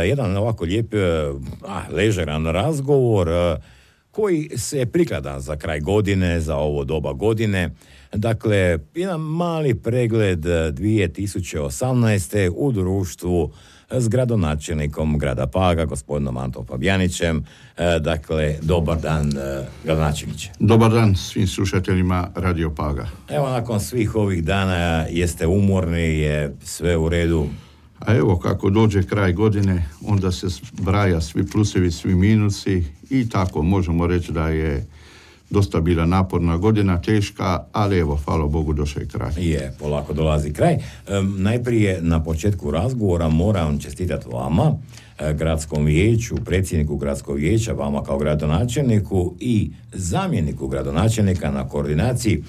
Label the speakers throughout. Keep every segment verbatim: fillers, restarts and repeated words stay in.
Speaker 1: Jedan ovako lijep, ah, ležeran razgovor koji se prikladan za kraj godine, za ovo doba godine. Dakle, jedan mali pregled dvije tisuće osamnaeste. u društvu s gradonačelnikom grada Paga, gospodinom Antom Fabijanićem. Dakle, dobar dan, gradonačelniče.
Speaker 2: Dobar dan svim slušateljima Radio Paga.
Speaker 1: Evo, nakon svih ovih dana jeste umorni, je sve u redu?
Speaker 2: A evo, kako dođe kraj godine, onda se zbraja svi plusevi, svi minusi i tako možemo reći da je dosta bila naporna godina, teška, ali evo, hvala Bogu, došao je kraj.
Speaker 1: Je, polako dolazi kraj. E, najprije na početku razgovora moram čestitati vama, e, gradskom vijeću, predsjedniku gradskog vijeća, vama kao gradonačelniku i zamjeniku gradonačelnika na koordinaciji.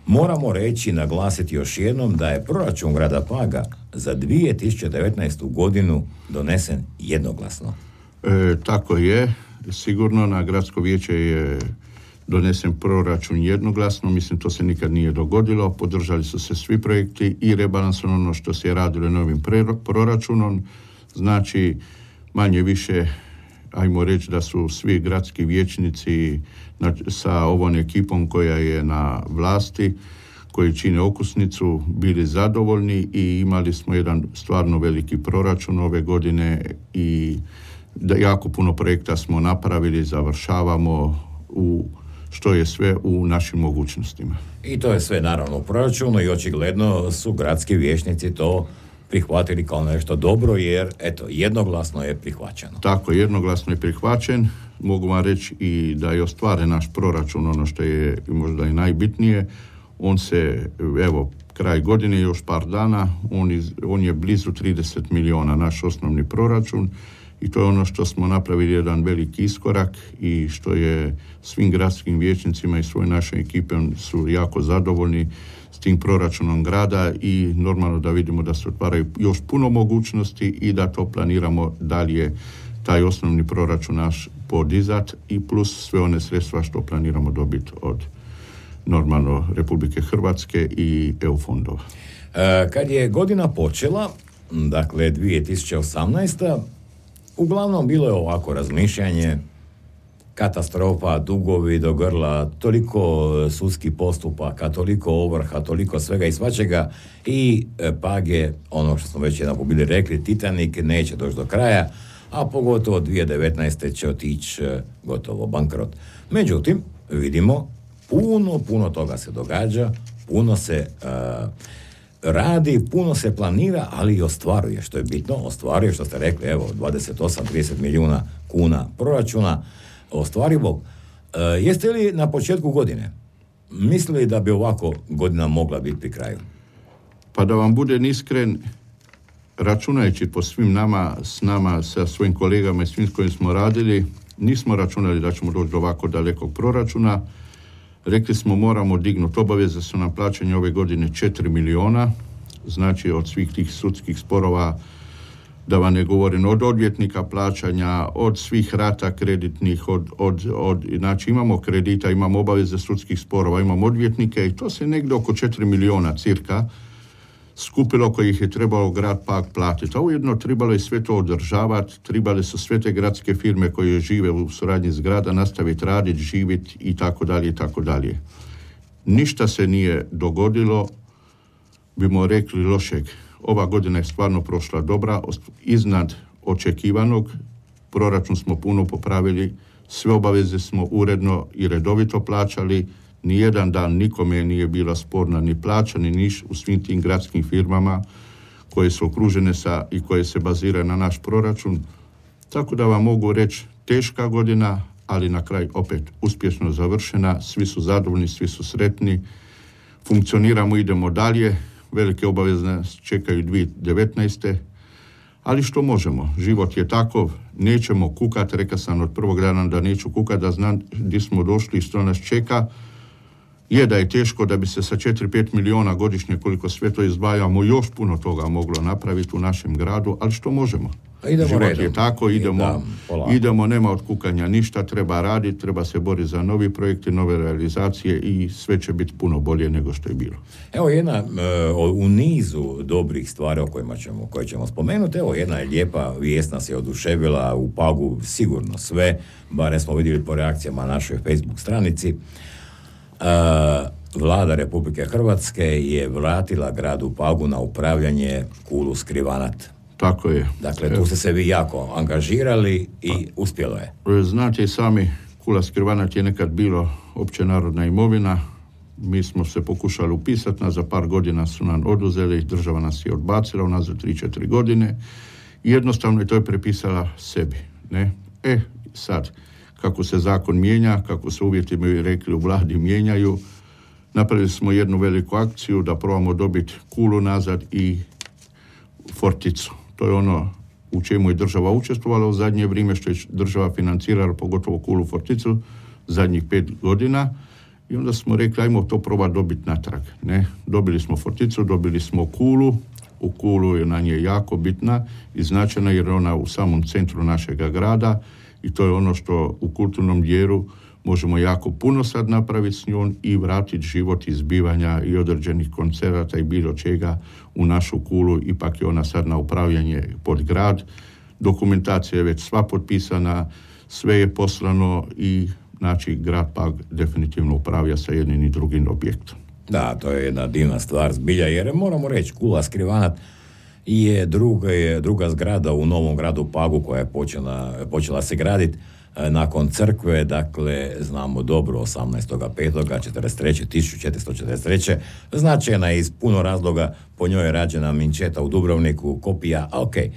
Speaker 1: Moramo reći, naglasiti još jednom da je proračun grada Paga za dvije tisuće devetnaestu. godinu donesen jednoglasno.
Speaker 2: E, tako je, sigurno na gradsko vijeće je donesen proračun jednoglasno, mislim to se nikad nije dogodilo, podržali su se svi projekti i rebalansom ono što se je radilo novim proračunom, znači manje više, ajmo reći da su svi gradski vijećnici sa ovom ekipom koja je na vlasti, koji čine okusnicu, bili zadovoljni i imali smo jedan stvarno veliki proračun ove godine i da jako puno projekta smo napravili, završavamo u što je sve u našim mogućnostima.
Speaker 1: I to je sve naravno u proračunu i očigledno su gradski vijećnici to prihvatili kao nešto dobro, jer eto, jednoglasno je prihvaćeno.
Speaker 2: Tako, jednoglasno je prihvaćen. Mogu vam reći i da je ostvaren naš proračun, ono što je možda i najbitnije. On se, evo, kraj godine, još par dana, on, iz, on je blizu trideset milijuna, naš osnovni proračun. I to je ono što smo napravili jedan veliki iskorak i što je svim gradskim vijećnicima i svoj našoj ekipe su jako zadovoljni s tim proračunom grada i normalno da vidimo da se otvaraju još puno mogućnosti i da to planiramo dalje taj osnovni proračun naš podizat i plus sve one sredstva što planiramo dobiti od normalno Republike Hrvatske i E U fondova.
Speaker 1: E, kad je godina počela, dakle dvije tisuće osamnaesta. uglavnom bilo je ovako razmišljanje, katastrofa, dugovi do grla, toliko sudskih postupaka, toliko ovrha, toliko svega i svačega i Pag je, ono što smo već jedan bili rekli, Titanik neće doći do kraja, a pogotovo dvije tisuće devetnaeste. će otići gotovo bankrot. Međutim, vidimo, puno, puno toga se događa, puno se uh, radi, puno se planira, ali i ostvaruje, što je bitno, ostvaruje, što ste rekli, evo, dvadeset osam do trideset milijuna kuna proračuna ostvarivog. E, jeste li na početku godine mislili da bi ovako godina mogla biti pri kraju?
Speaker 2: Pa da vam budem iskren, računajući po svim nama, s nama, sa svojim kolegama i svim s kojim smo radili, nismo računali da ćemo doći do ovako dalekog proračuna. Rekli smo moramo dignuti obaveze, su nam plaćanje ove godine četiri milijuna, znači od svih tih sudskih sporova, da vam ne govorim, od odvjetnika plaćanja, od svih rata kreditnih, od, od, od, znači imamo kredita, imamo obaveze sudskih sporova, imamo odvjetnike i to se negdje oko četiri milijuna cirka skupilo kojih je trebalo grad Pag platiti. A ujedno trebalo je sve to održavati, trebale su sve te gradske firme koje žive u suradnji s grada nastaviti raditi, živjeti i tako dalje i tako dalje. Ništa se nije dogodilo, bimo rekli, lošeg. Ova godina je stvarno prošla dobra, iznad očekivanog. Proračun smo puno popravili, sve obaveze smo uredno i redovito plaćali, nijedan dan nikome nije bila sporna ni plaća, ni niš u svim tim gradskim firmama koje su okružene sa i koje se baziraju na naš proračun. Tako da vam mogu reći, teška godina, ali na kraju opet uspješno završena, svi su zadovoljni, svi su sretni, funkcioniramo, idemo dalje, velike obaveze nas čekaju dvije tisuće devetnaeste. Ali što možemo, život je takav, nećemo kukat, rekao sam od prvog dana da neću kukat, da znam gdje smo došli i što nas čeka. Je da je teško da bi se sa četiri do pet milijuna godišnje, koliko sve to izdvajamo, još puno toga moglo napraviti u našem gradu, ali što možemo?
Speaker 1: Idemo
Speaker 2: život
Speaker 1: redom.
Speaker 2: je tako, idemo,
Speaker 1: da,
Speaker 2: idemo, nema od kukanja ništa, treba raditi, treba se boriti za novi projekti, nove realizacije i sve će biti puno bolje nego što je bilo.
Speaker 1: Evo jedna uh, u nizu dobrih stvari o kojima ćemo, koje ćemo spomenuti, evo jedna je lijepa vijest nas je oduševila u Pagu sigurno sve, barem smo vidjeli po reakcijama na našoj Facebook stranici. Uh, Vlada Republike Hrvatske je vratila gradu Pagu na upravljanje Kulu Skrivanat.
Speaker 2: Tako je.
Speaker 1: Dakle, tu ste se vi jako angažirali i pa, uspjelo je.
Speaker 2: Znate i sami, Kula Skrivanat je nekad bilo općenarodna imovina. Mi smo se pokušali upisati, na za par godina su nam oduzeli, država nas je odbacila, u nas za tri četiri godine. I jednostavno je to je prepisala sebi. Ne? E, sad, kako se zakon mijenja, kako se uvjeti mi rekli u vladi mijenjaju, napravili smo jednu veliku akciju da probamo dobiti Kulu nazad i Forticu. To je ono u čemu je država učestvovala u zadnje vrijeme, što je država financirala, pogotovo Kulu Forticu, zadnjih pet godina. I onda smo rekli, ajmo to probati dobiti natrag. Ne? Dobili smo Forticu, dobili smo Kulu. U Kulu je na nje jako bitna i značajna jer je ona u samom centru našega grada i to je ono što u kulturnom dijelu možemo jako puno sad napraviti s njom i vratiti život izbivanja i određenih koncerata i bilo čega u našu Kulu. Ipak je ona sad na upravljanje pod grad. Dokumentacija je već sva potpisana, sve je poslano i znači grad Pag definitivno upravlja sa jednim i drugim objektom.
Speaker 1: Da, to je jedna divna stvar zbilja, jer moramo reći, Kula Skrivanat je druga, je druga zgrada u novom gradu Pagu koja je počela, počela se graditi nakon crkve, dakle, znamo dobro, osamnaestog petog tisuću četiristo četrdeset treće Značajna je iz puno razloga, po njoj je rađena minčeta u Dubrovniku, kopija, a ok, e,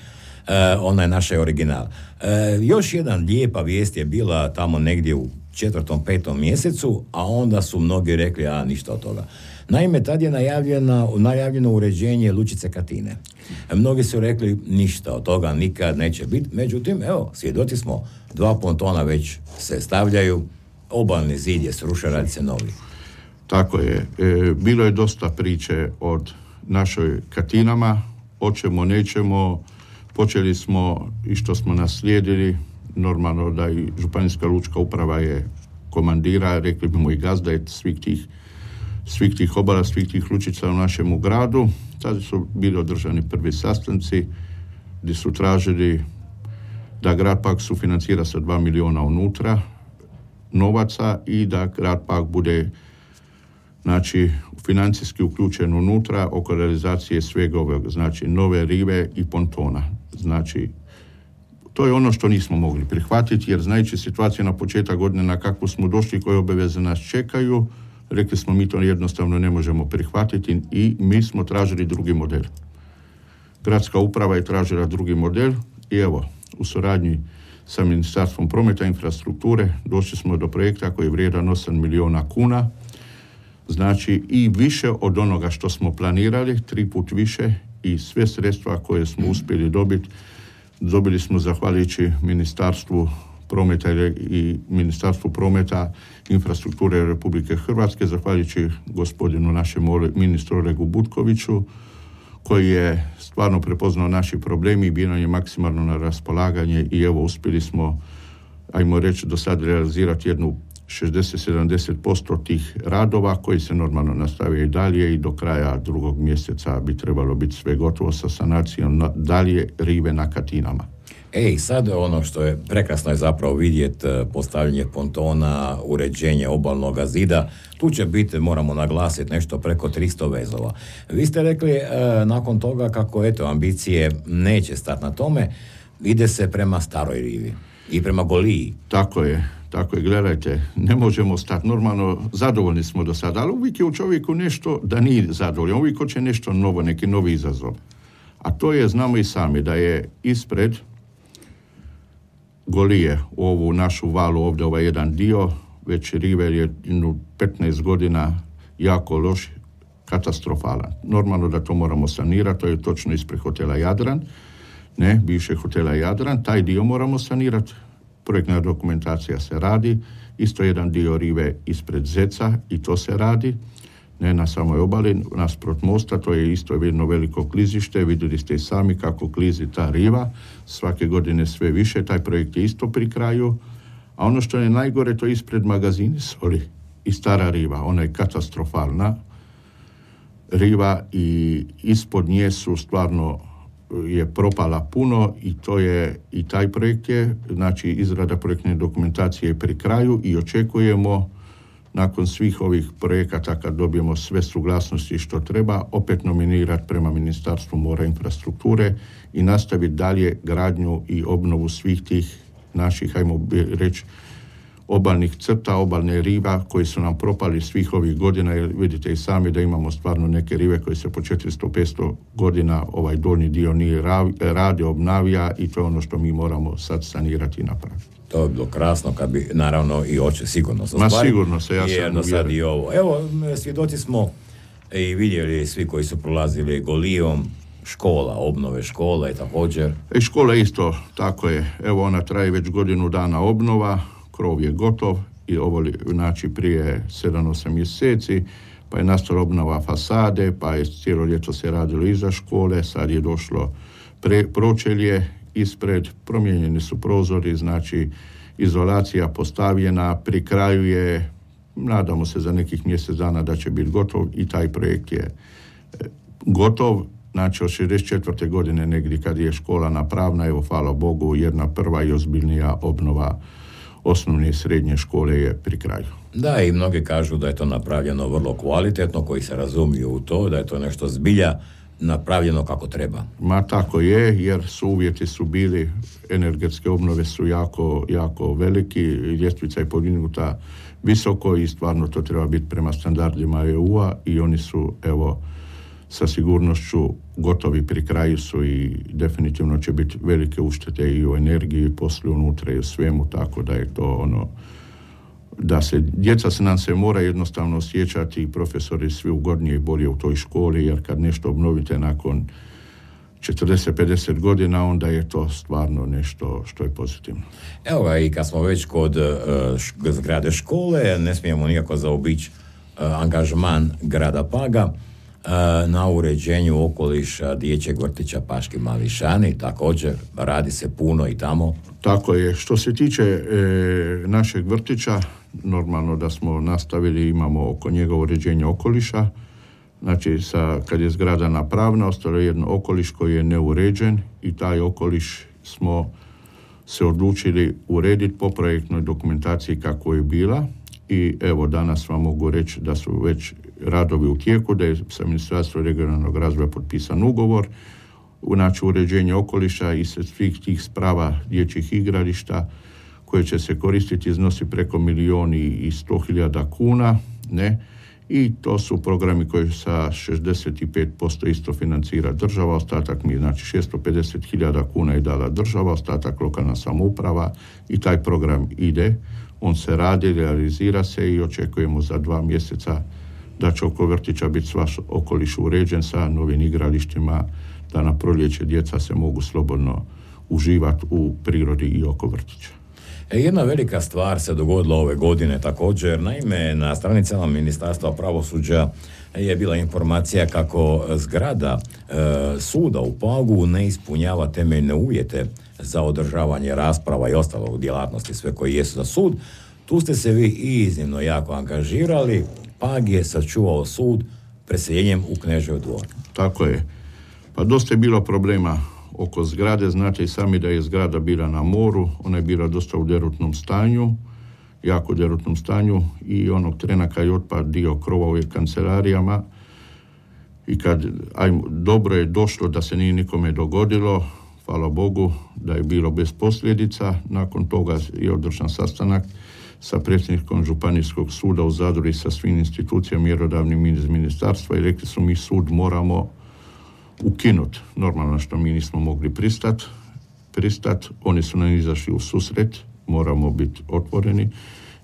Speaker 1: ona je naša original. E, još jedan lijepa vijest je bila tamo negdje u četvrtom, petom mjesecu, a onda su mnogi rekli, a ništa od toga. Naime, tad je najavljeno, najavljeno uređenje lučice Katine. Mnogi su rekli, ništa od toga nikad neće biti, međutim, evo, svjedoci smo, dva pontona već se stavljaju, obalni zid je srušen, radi se novi.
Speaker 2: Tako je. E, bilo je dosta priče od našoj Katinama, hoćemo, nećemo, počeli smo i što smo naslijedili, normalno da i županijska lučka uprava je komandira, rekli bimo i gazda je svih tih, svih tih obala, svih tih lučica u našemu gradu. Tada su bili održani prvi sastanci gdje su tražili da grad Pag sufinancira sa dva milijuna unutra novaca i da grad Pag bude znači financijski uključen unutra oko realizacije svega ovog, znači nove rive i pontona. Znači to je ono što nismo mogli prihvatiti, jer znajući situaciju na početak godine na kakvu smo došli, koje obaveze nas čekaju, rekli smo mi to jednostavno ne možemo prihvatiti i mi smo tražili drugi model. Gradska uprava je tražila drugi model i evo, u suradnji sa Ministarstvom prometa i infrastrukture došli smo do projekta koji je vrijedan osam milijuna kuna, znači i više od onoga što smo planirali, tri put više i sve sredstva koje smo uspjeli dobiti dobili smo zahvaljujući Ministarstvu prometa i Ministarstvu prometa infrastrukture Republike Hrvatske, zahvaljujući gospodinu našem ministru Olegu Butkoviću, koji je stvarno prepoznao naši problemi i bio nam je maksimalno na raspolaganje i evo uspjeli smo, ajmo reći, do sad realizirati jednu šezdeset do sedamdeset posto tih radova koji se normalno nastavio i dalje i do kraja drugog mjeseca bi trebalo biti sve gotovo sa sanacijom dalje rive na Katinama.
Speaker 1: Ej, sad ono što je prekrasno je zapravo vidjeti postavljanje pontona, uređenje obalnog zida. Tu će biti, moramo naglasiti, nešto preko tristo vezova. Vi ste rekli e, nakon toga kako eto ambicije neće stati na tome, ide se prema staroj rivi i prema Goliji.
Speaker 2: Tako je. Tako je, gledajte, ne možemo stati. Normalno, zadovoljni smo do sada, ali uvijek je u čovjeku nešto da nije zadovoljan. Uvijek hoće nešto novo, neki novi izazov. A to je, znamo i sami, da je ispred Golije u ovu našu valu ovdje, ovaj jedan dio, već river je petnaest godina jako loš, katastrofalan. Normalno da to moramo sanirati, to je točno ispred hotela Jadran, ne, bivše hotela Jadran, taj dio moramo sanirati. Projektna dokumentacija se radi, isto jedan dio rive ispred Zeca i to se radi. ne na samoj obali, nasprot mosta, to je isto jedno veliko klizište, vidjeli ste i sami kako klizi ta riva, svake godine sve više, taj projekt je isto pri kraju, a ono što je najgore, to je ispred magazini soli i stara riva, ona je katastrofalna riva i ispod nje su stvarno je propala puno i to je, i taj projekt je, znači izrada projektne dokumentacije je pri kraju i očekujemo nakon svih ovih projekata kad dobijemo sve suglasnosti što treba, opet nominirati prema Ministarstvu mora i infrastrukture i nastaviti dalje gradnju i obnovu svih tih naših, hajmo reći, obalnih crta, obalne riva koji su nam propali svih ovih godina, jer vidite i sami da imamo stvarno neke rive koje se po četiristo do petsto godina ovaj donji dio nije radi, obnavlja i to je ono što mi moramo sad sanirati i napraviti.
Speaker 1: To je bilo krasno kad bi, naravno, i oče sigurno sa
Speaker 2: Ma sigurno se, ja sam
Speaker 1: uvjeren. Sad i ovo. Evo, svjedoci smo i vidjeli svi koji su prolazili Golijom, škola, obnove škola i također.
Speaker 2: I škola isto, tako je. Evo, ona traje već godinu dana obnova, krov je gotov i ovo, znači, prije sedam osam mjeseci, pa je nastala obnova fasade, pa je cijelo ljeto se radilo iza škole, sad je došlo pre, pročelje ispred, promijenjeni su prozori, znači izolacija postavljena, pri kraju je, nadamo se za nekih mjesec dana da će biti gotov i taj projekt je gotov. Znači od šezdeset četvrte godine negdje kad je škola napravna, evo hvala Bogu, jedna prva i ozbiljnija obnova osnovne i srednje škole je pri kraju.
Speaker 1: Da, i mnogi kažu da je to napravljeno vrlo kvalitetno, koji se razumiju u to, da je to nešto zbilja napravljeno kako treba.
Speaker 2: Ma tako je, jer su uvjeti su bili, energetske obnove su jako, jako veliki, ljestvica je podignuta visoko i stvarno to treba biti prema standardima E U-a i oni su, evo, sa sigurnošću gotovi, pri kraju su i definitivno će biti velike uštede i u energiji i poslije unutra i u svemu, tako da je to ono, da se, djeca se nam se mora jednostavno osjećati i profesori svi ugodnije i bolje u toj školi, jer kad nešto obnovite nakon četrdeset do pedeset godina, onda je to stvarno nešto što je pozitivno.
Speaker 1: Evo ga, i kad smo već kod uh, zgrade škole, ne smijemo nikako zaobići uh, angažman grada Paga na uređenju okoliša dječjeg vrtića Paški Mališani, također radi se puno i tamo.
Speaker 2: Tako je. Što se tiče e, našeg vrtića, normalno da smo nastavili, imamo oko njega uređenje okoliša, znači sa, kad je zgrada napravna, ostalo je jedno okoliš koji je neuređen i taj okoliš smo se odlučili urediti po projektnoj dokumentaciji kako je bila i evo danas vam mogu reći da su već radovi u tijeku, da je sa Ministarstvom regionalnog razvoja potpisan ugovor, znači uređenje okoliša i svih tih sprava dječjih igrališta koje će se koristiti iznosi preko milijun i sto hiljada kuna, ne, i to su programi koji sa šezdeset pet posto isto financira država, ostatak mi, znači šesto pedeset hiljada kuna je dala država, ostatak lokalna samouprava i taj program ide, on se radi, realizira se i očekujemo za dva mjeseca da će oko vrtića biti sva okoliš uređen sa novim igralištima, da na proljeće djeca se mogu slobodno uživati u prirodi i oko vrtića.
Speaker 1: E, jedna velika stvar se dogodila ove godine također. Naime, na stranicama Ministarstva pravosuđa je bila informacija kako zgrada e, suda u Pagu ne ispunjava temeljne uvjete za održavanje rasprava i ostalog djelatnosti, sve koji jesu za sud. Tu ste se vi iznimno jako angažirali. Pag je sačuvao sud preseljenjem u Knežev dvor.
Speaker 2: Tako je. Pa dosta je bilo problema oko zgrade. Znate i sami da je zgrada bila na moru. Ona je bila dosta u derutnom stanju, jako derutnom stanju i onog trena kad je otpad dio krova u kancelarijama i kad ajmo, dobro je došlo da se nije nikome dogodilo, hvala Bogu da je bilo bez posljedica. Nakon toga je održan sastanak sa predsjednikom Županijskog suda u Zadru i sa svim institucijama mjerodavnim iz ministarstva i rekli su mi sud moramo ukinuti. Normalno što mi nismo mogli pristati. Pristat. Oni su nam izašli u susret, moramo biti otvoreni,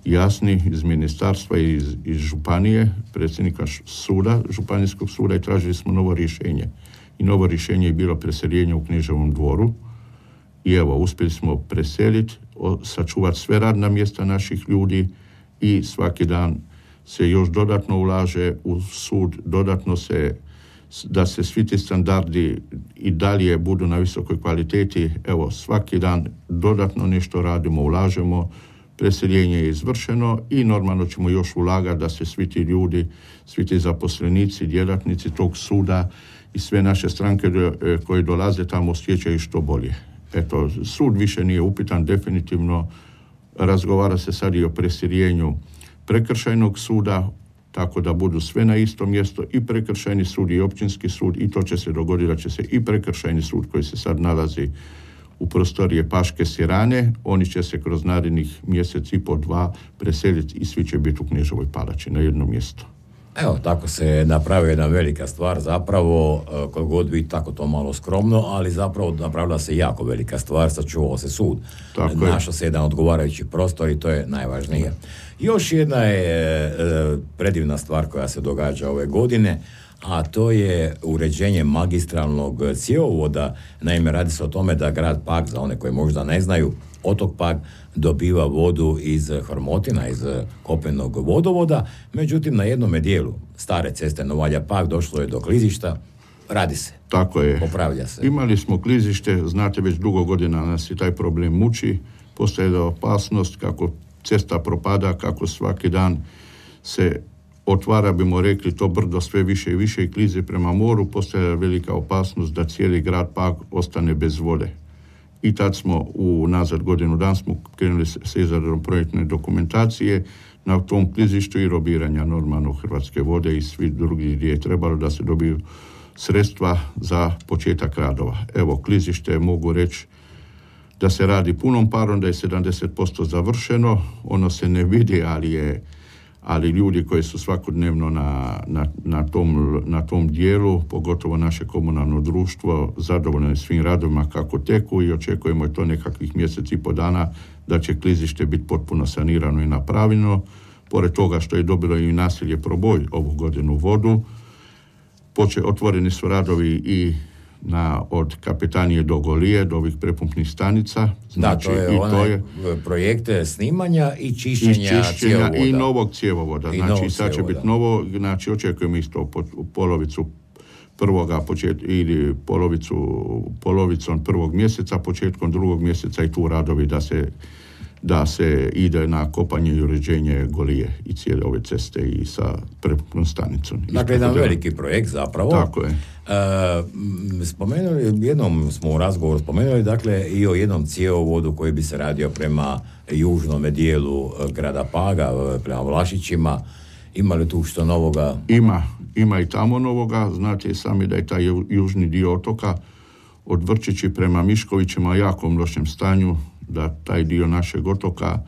Speaker 2: jasni iz ministarstva i iz, iz županije, predsjednika suda, županijskog suda i tražili smo novo rješenje. I novo rješenje je bilo preseljenje u Kneževom dvoru. I evo, uspjeli smo preseliti, sačuvati sve radna mjesta naših ljudi i svaki dan se još dodatno ulaže u sud, dodatno se, da se svi ti standardi i dalje budu na visokoj kvaliteti. Evo, svaki dan dodatno nešto radimo, ulažemo, preseljenje je izvršeno i normalno ćemo još ulagati da se svi ti ljudi, svi ti zaposlenici, djelatnici tog suda i sve naše stranke koje dolaze tamo osjećaju što bolje. Eto, sud više nije upitan, definitivno razgovara se sad i o preseljenju prekršajnog suda, tako da budu sve na isto mjesto, i prekršajni sud i općinski sud, i to će se dogoditi da će se i prekršajni sud koji se sad nalazi u prostorije Paške Sirane, oni će se kroz narednih mjesec i po dva preseliti i svi će biti u Kneževoj palači na jedno mjesto.
Speaker 1: Evo, tako se napravila jedna velika stvar, zapravo, koliko god biti tako to malo skromno, ali zapravo napravila se jako velika stvar, sačuvao se sud. Tako Našao se jedan odgovarajući prostor i to je najvažnije. Još jedna je e, predivna stvar koja se događa ove godine, a to je uređenje magistralnog cjevovoda. Naime, radi se o tome da grad Pag, za one koji možda ne znaju, otok Pag dobiva vodu iz Hormotina, iz kopnenog vodovoda, međutim na jednome dijelu stare ceste Novalja Pag došlo je do klizišta, radi se.
Speaker 2: Tako je.
Speaker 1: Popravlja se.
Speaker 2: Imali smo klizište, znate, već dugo godina nas i taj problem muči, postoje da opasnost kako cesta propada, kako svaki dan se otvara, bimo rekli, to brdo sve više i više i klize prema moru, postoje velika opasnost da cijeli grad Pag ostane bez vode. I tad smo u nazad godinu dan smo krenuli sa izradom projektne dokumentacije na tom klizištu i robiranja normalno Hrvatske vode i svi drugi gdje je trebalo da se dobiju sredstva za početak radova. Evo, klizište mogu reći da se radi punom parom, da je sedamdeset posto završeno, ono se ne vidi, ali je ali ljudi koji su svakodnevno na, na, na, tom, na tom dijelu, pogotovo naše komunalno društvo, zadovoljno je svim radovima kako teku i očekujemo je to nekakvih mjesec i po dana da će klizište biti potpuno sanirano i napravljeno. Pored toga što je dobilo i naselje Proboj ovu godinu vodu, poče, otvoreni su radovi i na, od Kapetanije do Golije, do ovih prepumpnih stanica.
Speaker 1: Znači, da, to je, i to je projekte snimanja i čišćenja, i čišćenja cjevovoda.
Speaker 2: I novog cjevovoda.
Speaker 1: I
Speaker 2: znači,
Speaker 1: novog
Speaker 2: sad će
Speaker 1: cjevovoda.
Speaker 2: biti novo, znači, očekujemo isto po, polovicu prvoga počet, ili polovicu, polovicom prvog mjeseca, početkom drugog mjeseca i tu radovi da se da se ide na kopanje i uređenje Golije i cijele ove ceste i sa prepumpnom stanicom.
Speaker 1: Dakle, jedan veliki projekt zapravo.
Speaker 2: Tako je.
Speaker 1: E, spomenuli, jednom smo u razgovoru spomenuli, dakle, i o jednom cjevovodu koji bi se radio prema južnom dijelu grada Paga, prema Vlašićima. Ima li tu što novoga?
Speaker 2: Ima, ima i tamo novoga. Znate sami da je taj južni dio otoka od Vrčići prema Miškovićima u jakom lošem stanju, da taj dio našeg otoka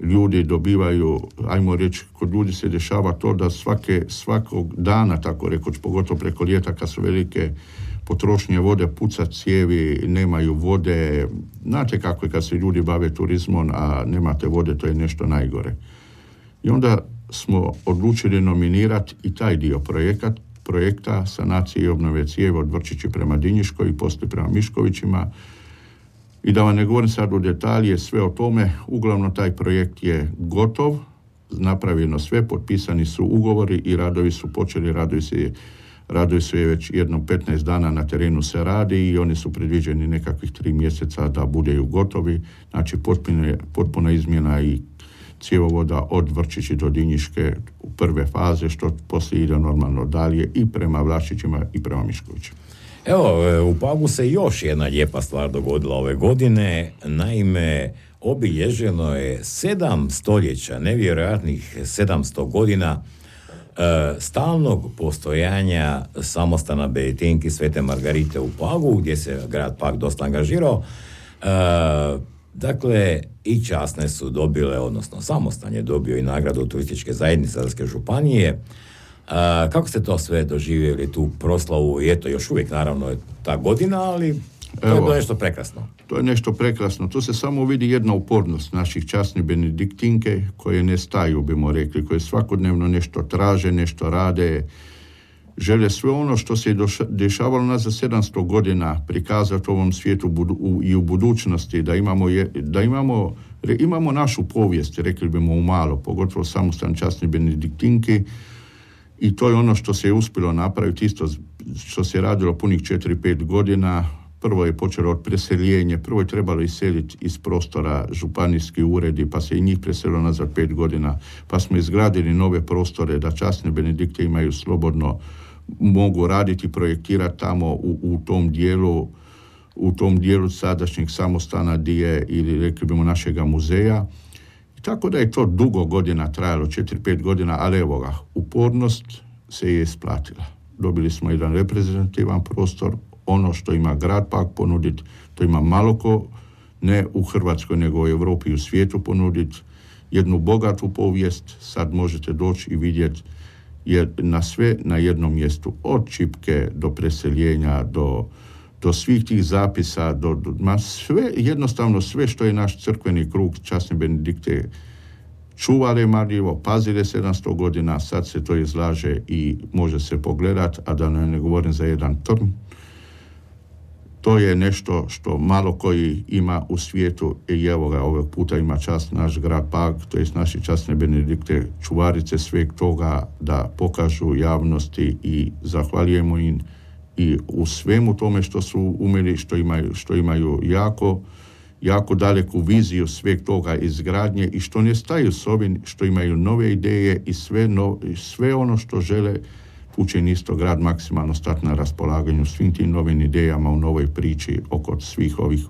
Speaker 2: ljudi dobivaju, ajmo reći, kod ljudi se dešava to da svake, svakog dana, tako rekoć, pogotovo preko ljeta kad su velike potrošnje vode, puca cijevi, nemaju vode. Znate kako je kad se ljudi bave turizmom, a nemate vode, to je nešto najgore. I onda smo odlučili nominirati i taj dio projekat, projekta sanacije i obnove cijeva od Vrčići prema Dinjiškoj i poslije prema Miškovićima. I da vam ne govorim sad u detalje sve o tome, uglavnom taj projekt je gotov, napravljeno sve, potpisani su ugovori i radovi su počeli, radovi se, radovi su je već jednom petnaest dana na terenu se radi i oni su predviđeni nekakvih tri mjeseca da budeju gotovi, znači potpuna, potpuna izmjena i cjevovoda od Vrčići do Dinjiške u prve faze, što poslije ide normalno dalje i prema Vlašićima i prema Miškovićima.
Speaker 1: Evo, u Pagu se još jedna lijepa stvar dogodila ove godine. Naime, obilježeno je sedam stoljeća, nevjerojatnih sedamsto godina e, stalnog postojanja samostana Benediktinki Svete Margarite u Pagu, gdje se grad Pag dosta angažirao. E, dakle, i časne su dobile, odnosno samostan je dobio i nagradu turističke zajednice Zadarske županije. A, kako ste to sve doživjeli, tu proslavu? I eto, još uvijek naravno je ta godina, ali to Evo, je bilo nešto prekrasno.
Speaker 2: To je nešto prekrasno. Tu se samo vidi jedna upornost naših časnih Benediktinke koje ne staju, bimo rekli, koje svakodnevno nešto traže, nešto rade, žele sve ono što se dešavalo nas za sedamsto godina prikazati u ovom svijetu budu, u, i u budućnosti, da imamo, je, da imamo Imamo našu povijest, rekli bimo u malo, pogotovo samostan časni benediktinki, i to je ono što se je uspjelo napraviti, isto što se je radilo punih četiri pet godina. Prvo je počelo od preseljenja, prvo je trebalo iseliti iz prostora županijski uredi, pa se i njih preselilo nazad pet godina, pa smo izgradili nove prostore da časne benedikte imaju slobodno, mogu raditi i projektirati tamo u, u tom dijelu, u tom dijelu sadašnjeg samostana gdje ili rekli bimo našega muzeja. I tako da je to dugo godina trajalo, četiri pet godina, ali evo ga, upornost se je isplatila. Dobili smo jedan reprezentativan prostor, ono što ima grad Pag ponuditi, to ima malo ko, ne u Hrvatskoj, nego u Europi i u svijetu ponuditi, jednu bogatu povijest, sad možete doći i vidjeti je na sve na jednom mjestu, od čipke do preseljenja, do, do svih tih zapisa, do, do, ma sve, jednostavno sve što je naš crkveni krug časne benedikte čuvale marljivo, pazile sedamsto godina, sad se to izlaže i može se pogledat, a da ne govorim za jedan trn. To je nešto što malo koji ima u svijetu i evo ga, ovog puta ima čast naš grad Pag, to jest naši časne benedikte, čuvarice sveg toga da pokažu javnosti i zahvaljujemo im i u svemu tome što su umjeli, što imaju, što imaju jako, jako daleku viziju sveg toga izgradnje i što ne staju s ovim, što imaju nove ideje i sve, no, sve ono što žele učin isto grad maksimalno stati na raspolaganju svim tim novim idejama u novoj priči oko svih ovih,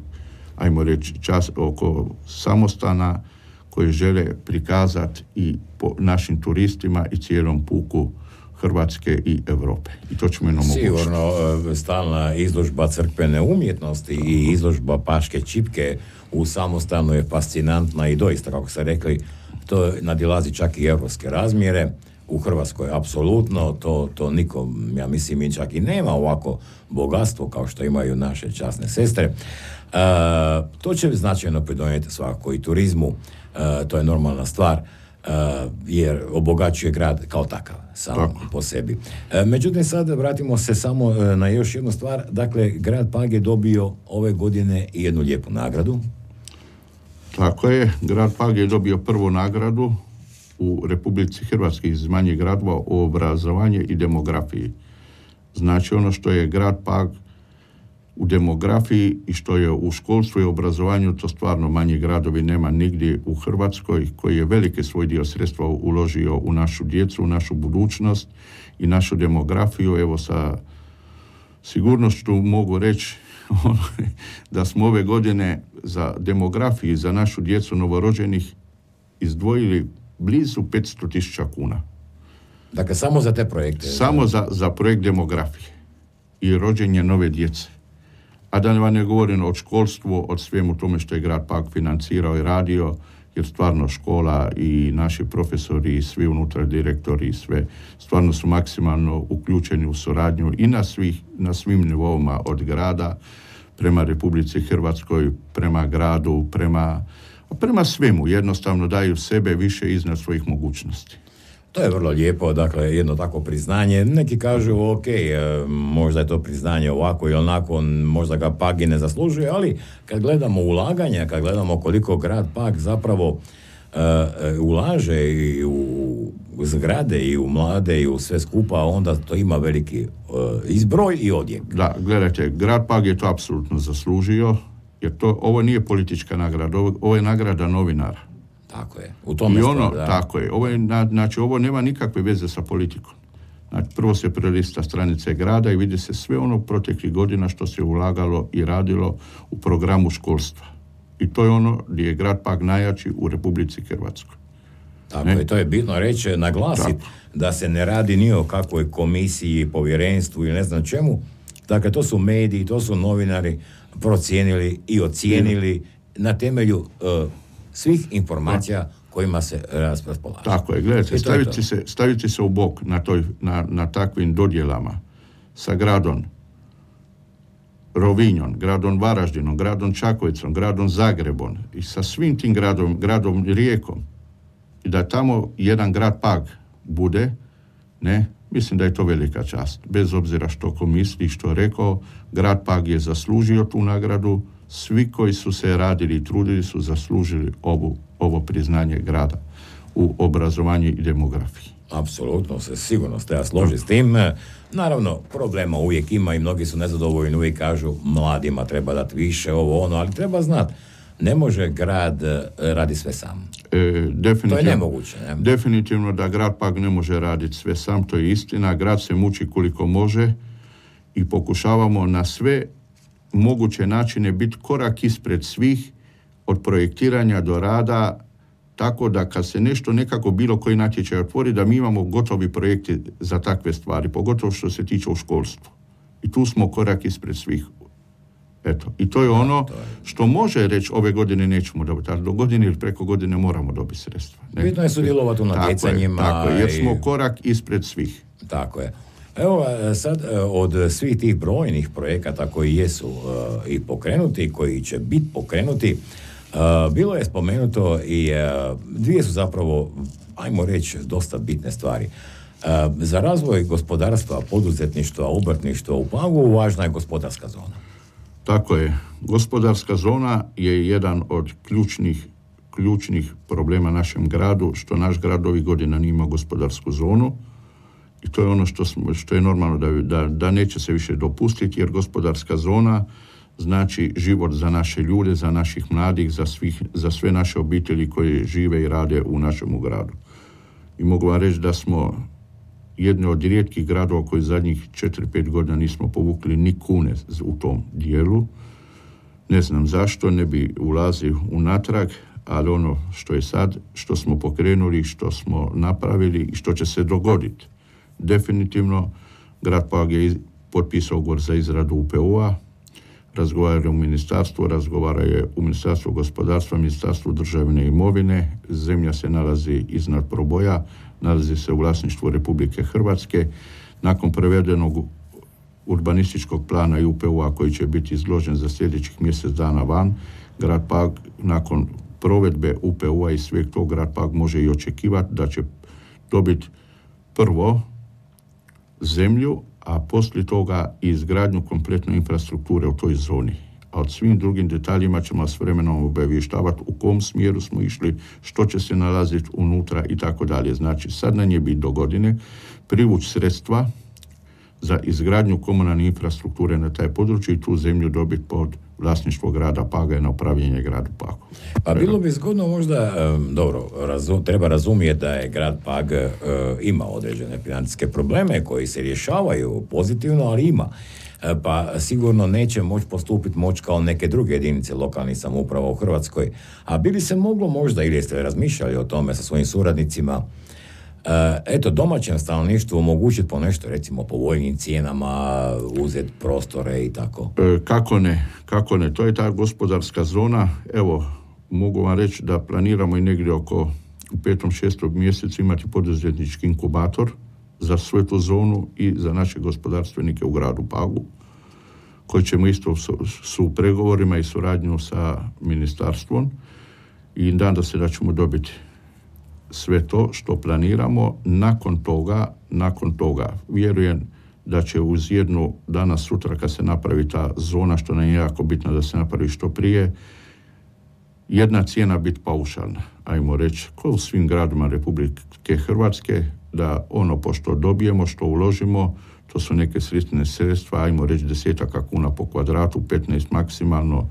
Speaker 2: ajmo reći, čas, oko samostana koje žele prikazati i po našim turistima i cijelom puku Hrvatske i Europe. I to ćemo jednom omogućiti.
Speaker 1: Sigurno, stalna izložba crkvene umjetnosti i izložba paške čipke u samostanu je fascinantna i doista, kako ste rekli, to nadilazi čak i europske razmjere. U Hrvatskoj apsolutno, to, to nikom, ja mislim, i čak i nema ovako bogatstvo kao što imaju naše časne sestre. E, to će značajno pridonijeti svakako i turizmu, e, to je normalna stvar, e, jer obogaćuje grad kao takav, sam Tako. po sebi. E, međutim, sad vratimo se samo na još jednu stvar. Dakle, grad Pag je dobio ove godine jednu lijepu nagradu.
Speaker 2: Tako je, grad Pag je dobio prvu nagradu u Republici Hrvatske iz manjih gradova o obrazovanje i demografiji. Znači ono što je grad Pag u demografiji i što je u školstvu i obrazovanju, to stvarno manji gradovi nema nigdje u Hrvatskoj, koji je veliki svoj dio sredstva uložio u našu djecu, u našu budućnost i našu demografiju. Evo sa sigurnošću mogu reći da smo ove godine za demografiju, za našu djecu novorođenih izdvojili blizu petsto tisuća kuna.
Speaker 1: Dakle, samo za te projekte?
Speaker 2: Samo za, za projekt demografije i rođenje nove djece. A da vam ne govorim od školstvu, od svemu tome što je grad Pag financirao i radio, jer stvarno škola i naši profesori i svi unutra direktori i sve stvarno su maksimalno uključeni u suradnju i na, svih, na svim nivoima od grada prema Republici Hrvatskoj, prema gradu, prema prema svemu, jednostavno daju sebe više iznad svojih mogućnosti.
Speaker 1: To je vrlo lijepo, dakle, jedno tako priznanje. Neki kažu, ok, možda je to priznanje ovako ili onako, možda ga Pag i ne zaslužuje, ali kad gledamo ulaganja, kad gledamo koliko grad Pag zapravo uh, ulaže i u zgrade i u mlade i u sve skupa, onda to ima veliki uh, izbroj i odjek.
Speaker 2: Da, gledajte, grad Pag je to apsolutno zaslužio, jer to, ovo nije politička nagrada, ovo, ovo je nagrada novinara.
Speaker 1: Tako je. U tome
Speaker 2: I ono,
Speaker 1: stvar, da.
Speaker 2: tako je. Ovo je, znači, ovo nema nikakve veze sa politikom. Znači, prvo se prelista stranice grada i vidi se sve ono proteklih godina što se ulagalo i radilo u programu školstva. I to je ono gdje je grad Pag najjači u Republici Hrvatskoj.
Speaker 1: Tako ne? je, to je bitno reći, naglasiti da se ne radi ni o kakvoj komisiji, povjerenstvu ili ne znam čemu. Dakle, to su mediji, to su novinari procijenili i ocijenili mm. na temelju uh, svih informacija da. kojima se raspolaže.
Speaker 2: Tako je, gledajte, staviti se, staviti se u bok na, toj, na, na takvim dodjelama sa gradom Rovinjom, gradom Varaždinom, gradom Čakovicom, gradom Zagrebom i sa svim tim gradom, gradom Rijekom i da tamo jedan grad Pag bude, ne, mislim da je to velika čast. Bez obzira što ko misli, što rekao, grad Pag je zaslužio tu nagradu, svi koji su se radili i trudili su zaslužili ovu, ovo priznanje grada u obrazovanju i demografiji.
Speaker 1: Apsolutno se sigurno ste ja složi s tim. Naravno, problema uvijek ima i mnogi su nezadovoljni, uvijek kažu mladima treba dati više, ovo ono, ali treba znati, ne može grad radi sve sam.
Speaker 2: E,
Speaker 1: to je nemoguće. Ne?
Speaker 2: Definitivno da grad Pag ne može raditi sve sam, to je istina. Grad se muči koliko može i pokušavamo na sve moguće načine biti korak ispred svih, od projektiranja do rada, tako da kad se nešto nekako bilo koji natječaj otvori, da mi imamo gotovi projekti za takve stvari, pogotovo što se tiče u školstvu. I tu smo korak ispred svih. Eto, i to je ono što može reći ove godine nećemo dobiti, ali do godine ili preko godine moramo dobiti sredstva. Ne?
Speaker 1: Bitno je sudjelovati u natjecanjima.
Speaker 2: Tako je, tako je, jer smo korak ispred svih.
Speaker 1: Tako je. Evo sad od svih tih brojnih projekata koji jesu uh, i pokrenuti i koji će biti pokrenuti, uh, bilo je spomenuto i uh, dvije su zapravo, ajmo reći, dosta bitne stvari. Uh, za razvoj gospodarstva, poduzetništva, obrtništva u Pagu važna je gospodarska zona.
Speaker 2: Tako je. Gospodarska zona je jedan od ključnih, ključnih problema našem gradu, što naš grad ovih godina nije imao gospodarsku zonu. I to je ono što, smo, što je normalno da, da, da neće se više dopustiti, jer gospodarska zona znači život za naše ljude, za naših mladih, za, svih, za sve naše obitelji koje žive i rade u našem gradu. I mogu vam reći da smo jedni od rijetkih gradova koji zadnjih četiri pet godina nismo povukli ni kune u tom dijelu. Ne znam zašto, ne bi ulazio unatrag, ali ono što je sad, što smo pokrenuli, što smo napravili i što će se dogoditi. Definitivno, grad Pag je potpisao ugovor za izradu U P U-a, razgovara u ministarstvu, razgovara je u Ministarstvu gospodarstva, Ministarstvu državne imovine, zemlja se nalazi iznad proboja, nalazi se u vlasništvu Republike Hrvatske. Nakon prevedenog urbanističkog plana i U P U-a koji će biti izložen za sljedećih mjesec dana van, grad Pag nakon provedbe U P U-a i sveg tog grad Pag može i očekivati da će dobiti prvo zemlju, a poslije toga i izgradnju kompletne infrastrukture u toj zoni. A od svim drugim detaljima ćemo s vremenom obavještavati u kom smjeru smo išli, što će se nalaziti unutra i tako dalje. Znači, sad nam je biti do godine privući sredstva za izgradnju komunalne infrastrukture na taj području i tu zemlju dobiti pod vlasništvo grada Paga i na upravljanje gradu Pagu.
Speaker 1: Pa bilo bi zgodno možda, um, dobro, razum, treba razumjeti da je grad Pag uh, ima određene financijske probleme koji se rješavaju pozitivno, ali ima. Uh, pa sigurno neće moći postupiti moć kao neke druge jedinice lokalnih samouprava u Hrvatskoj. A bi li se moglo možda, ili jeste razmišljali o tome sa svojim suradnicima, Uh, eto, domaćem stanovništvu omogućiti po nešto, recimo po povoljnim cijenama, uzeti prostore i tako?
Speaker 2: E, kako ne, kako ne, to je ta gospodarska zona. Evo, mogu vam reći da planiramo i negdje oko u petom, šestom mjesecu imati poduzetnički inkubator za svu tu zonu i za naše gospodarstvenike u gradu Pagu, koji ćemo isto su, su u pregovorima i suradnju sa ministarstvom i nadam se da ćemo dobiti sve to što planiramo. Nakon toga, nakon toga vjerujem da će uz jednu danas sutra kad se napravi ta zona, što nam je jako bitno da se napravi što prije, jedna cijena biti paušalna, ajmo reći, kao u svim gradima Republike Hrvatske, da ono pošto dobijemo, što uložimo, to su neke sredstve sredstva, ajmo reći desetaka kuna po kvadratu, petnaest maksimalno,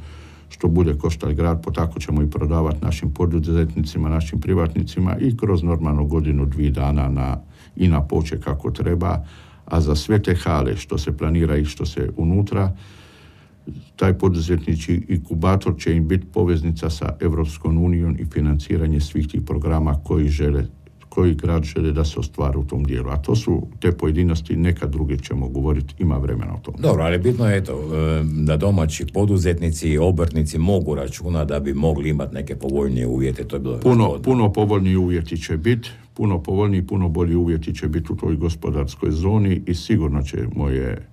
Speaker 2: što bude koštati grad, po tako ćemo i prodavati našim poduzetnicima, našim privatnicima i kroz normalno godinu, dvije dana na, i na poče kako treba, a za sve te hale što se planira i što se unutra, taj poduzetnički inkubator će im biti poveznica sa Europskom unijom i financiranje svih tih programa koji žele, koji grad žele da se ostvari u tom dijelu. A to su te pojedinosti, neka druge ćemo govoriti, ima vremena o tom.
Speaker 1: Dobro, ali bitno je to da domaći poduzetnici i obrtnici mogu računati da bi mogli imati neke povoljnije uvjete. To je bilo
Speaker 2: puno, puno povoljniji uvjeti će biti, puno povoljniji, puno bolji uvjeti će biti u toj gospodarskoj zoni i sigurno će moje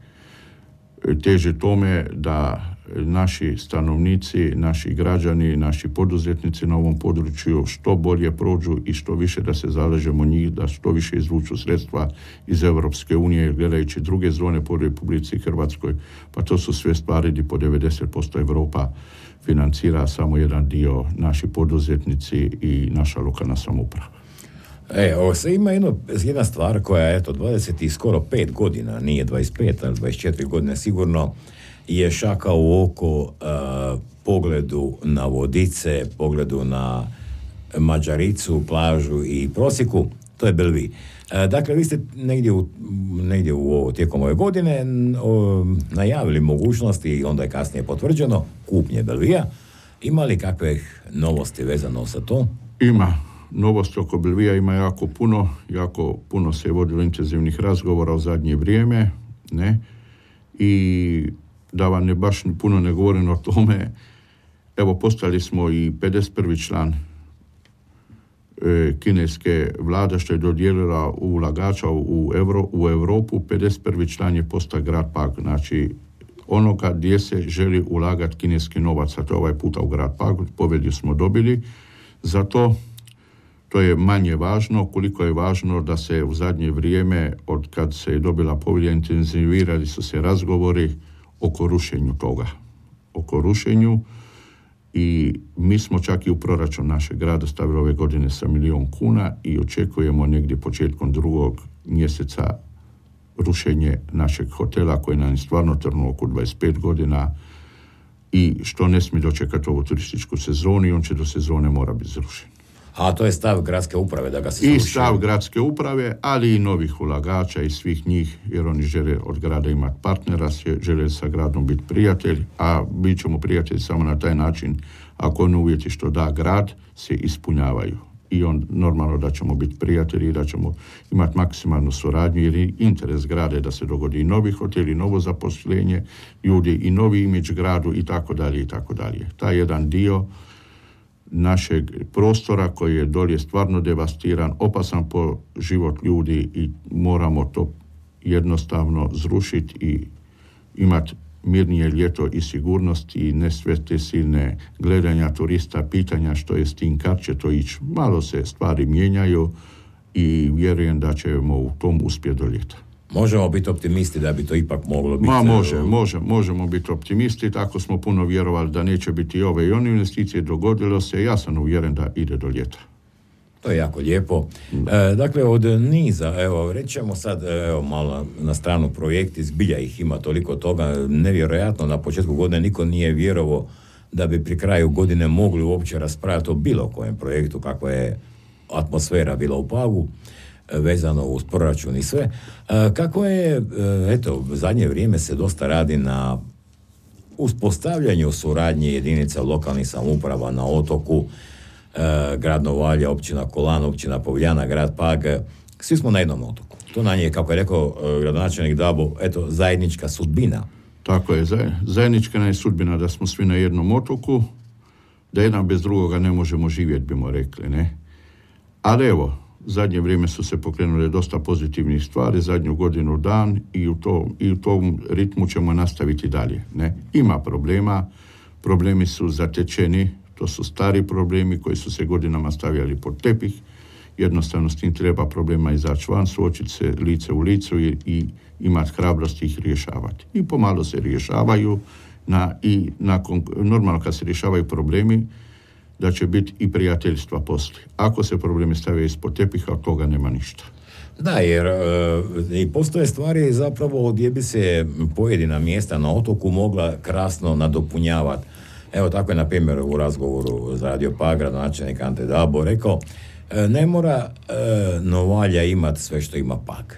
Speaker 2: teže tome da naši stanovnici, naši građani, naši poduzetnici na ovom području što bolje prođu i što više da se zalažemo njih, da što više izvuču sredstva iz Europske unije, gledajući druge zone po Republici Hrvatskoj, pa to su sve stvari gdje po devedeset posto Europa financira, samo jedan dio naši poduzetnici i naša lokalna samouprava.
Speaker 1: E, ovo se ima jedno, jedna stvar koja je, eto, dvadeset i skoro pet godina, nije dvadeset pet, ali dvadeset četiri godine sigurno, je šaka u oko uh, pogledu na Vodice, pogledu na Mađaricu, plažu i Prosiku, to je Belvi. Uh, dakle, vi ste negdje u, negdje u ovo, tijekom ove godine o, najavili mogućnosti i onda je kasnije potvrđeno kupnje Belvija. Ima li kakve novosti vezano sa to?
Speaker 2: Ima. Novosti oko Belvija ima jako puno, jako puno se je vodilo intenzivnih razgovora u zadnje vrijeme, ne, i da vam ne baš puno ne govorim o tome, evo postali smo i pedeset prvi član e, kineske vlade što je dodijelila ulagača u, Evro, u Europu, pedeset prvi član je postao grad Pag, znači onoga gdje se želi ulagati kineski novac, a to ovaj puta u grad Pag, pobjedu smo dobili, zato to je manje važno, koliko je važno da se u zadnje vrijeme, od kad se je dobila povelja, intenzivirali su se razgovori oko rušenju toga. Oko rušenju i mi smo čak i u proračun našeg grada stavili ove godine sa milijon kuna i očekujemo negdje početkom drugog mjeseca rušenje našeg hotela koji nam je stvarno trnuo oko dvadeset pet godina i što ne smije dočekati ovu turističku sezonu i on će do sezone mora biti zrušen.
Speaker 1: A to je stav gradske uprave da ga se
Speaker 2: I
Speaker 1: sruši.
Speaker 2: stav gradske uprave, ali i novih ulagača i svih njih, jer oni žele od grada imati partnera, žele sa gradom biti prijatelj, a bit ćemo prijatelji samo na taj način ako oni uvjeti što da grad se ispunjavaju. I on normalno da ćemo biti prijatelji i da ćemo imati maksimalnu suradnju, jer je interes grada da se dogodi i novi hotel, i novo zaposlenje ljudi, i novi imidž gradu i tako dalje i tako dalje. Taj jedan dio našeg prostora koji je dolje stvarno devastiran, opasan po život ljudi i moramo to jednostavno zrušiti i imati mirnije ljeto i sigurnost i ne sve te silne gledanja turista, pitanja što je s tim, kad će to ići. Malo se stvari mijenjaju i vjerujem da ćemo u tom uspjeti do ljeta.
Speaker 1: Možemo biti optimisti da bi to ipak moglo biti...
Speaker 2: Ma može, može, možemo biti optimisti, tako smo puno vjerovali da neće biti ove i one investicije, dogodilo se, ja sam uvjeren da ide do ljeta.
Speaker 1: To je jako lijepo. E, dakle, od niza, evo, rećemo sad, evo, malo na stranu projekti, zbilja ih ima toliko toga, nevjerojatno, na početku godine niko nije vjerovao da bi pri kraju godine mogli uopće raspravljati o bilo kojem projektu, kakva je atmosfera bila u Pagu, vezano uz proračun i sve. E, kako je, eto, zadnje vrijeme se dosta radi na uspostavljanju suradnje jedinica lokalnih samouprava na otoku, e, grad Novalja, općina Kolan, općina Povljana, grad Pag, svi smo na jednom otoku. To na nje, kako je rekao e, gradonačelnik Dabo, eto, zajednička sudbina.
Speaker 2: Tako je, zajednička je sudbina da smo svi na jednom otoku, da jedan bez drugoga ne možemo živjeti, bimo rekli, ne? Ali evo, zadnje vrijeme su se pokrenule dosta pozitivnih stvari, zadnju godinu dan i u, to, i u tom ritmu ćemo nastaviti dalje. Ne? Ima problema, problemi su zatečeni, to su stari problemi koji su se godinama stavljali pod tepih, jednostavno s tim treba problema izaći van, suočiti se lice u licu i, i imati hrabrost ih rješavati. I pomalo se rješavaju na, i nakon, normalno kad se rješavaju problemi, da će biti i prijateljstva poslije. Ako se problemi stavljaju ispod tepiha, od toga nema ništa.
Speaker 1: Da, jer e, i postoje stvari zapravo gdje bi se pojedina mjesta na otoku mogla krasno nadopunjavati. Evo tako je, na primjer, u razgovoru za Radio Pag gradonačelnik Ante Dabo rekao, e, ne mora e, Novalja imati sve što ima Pag.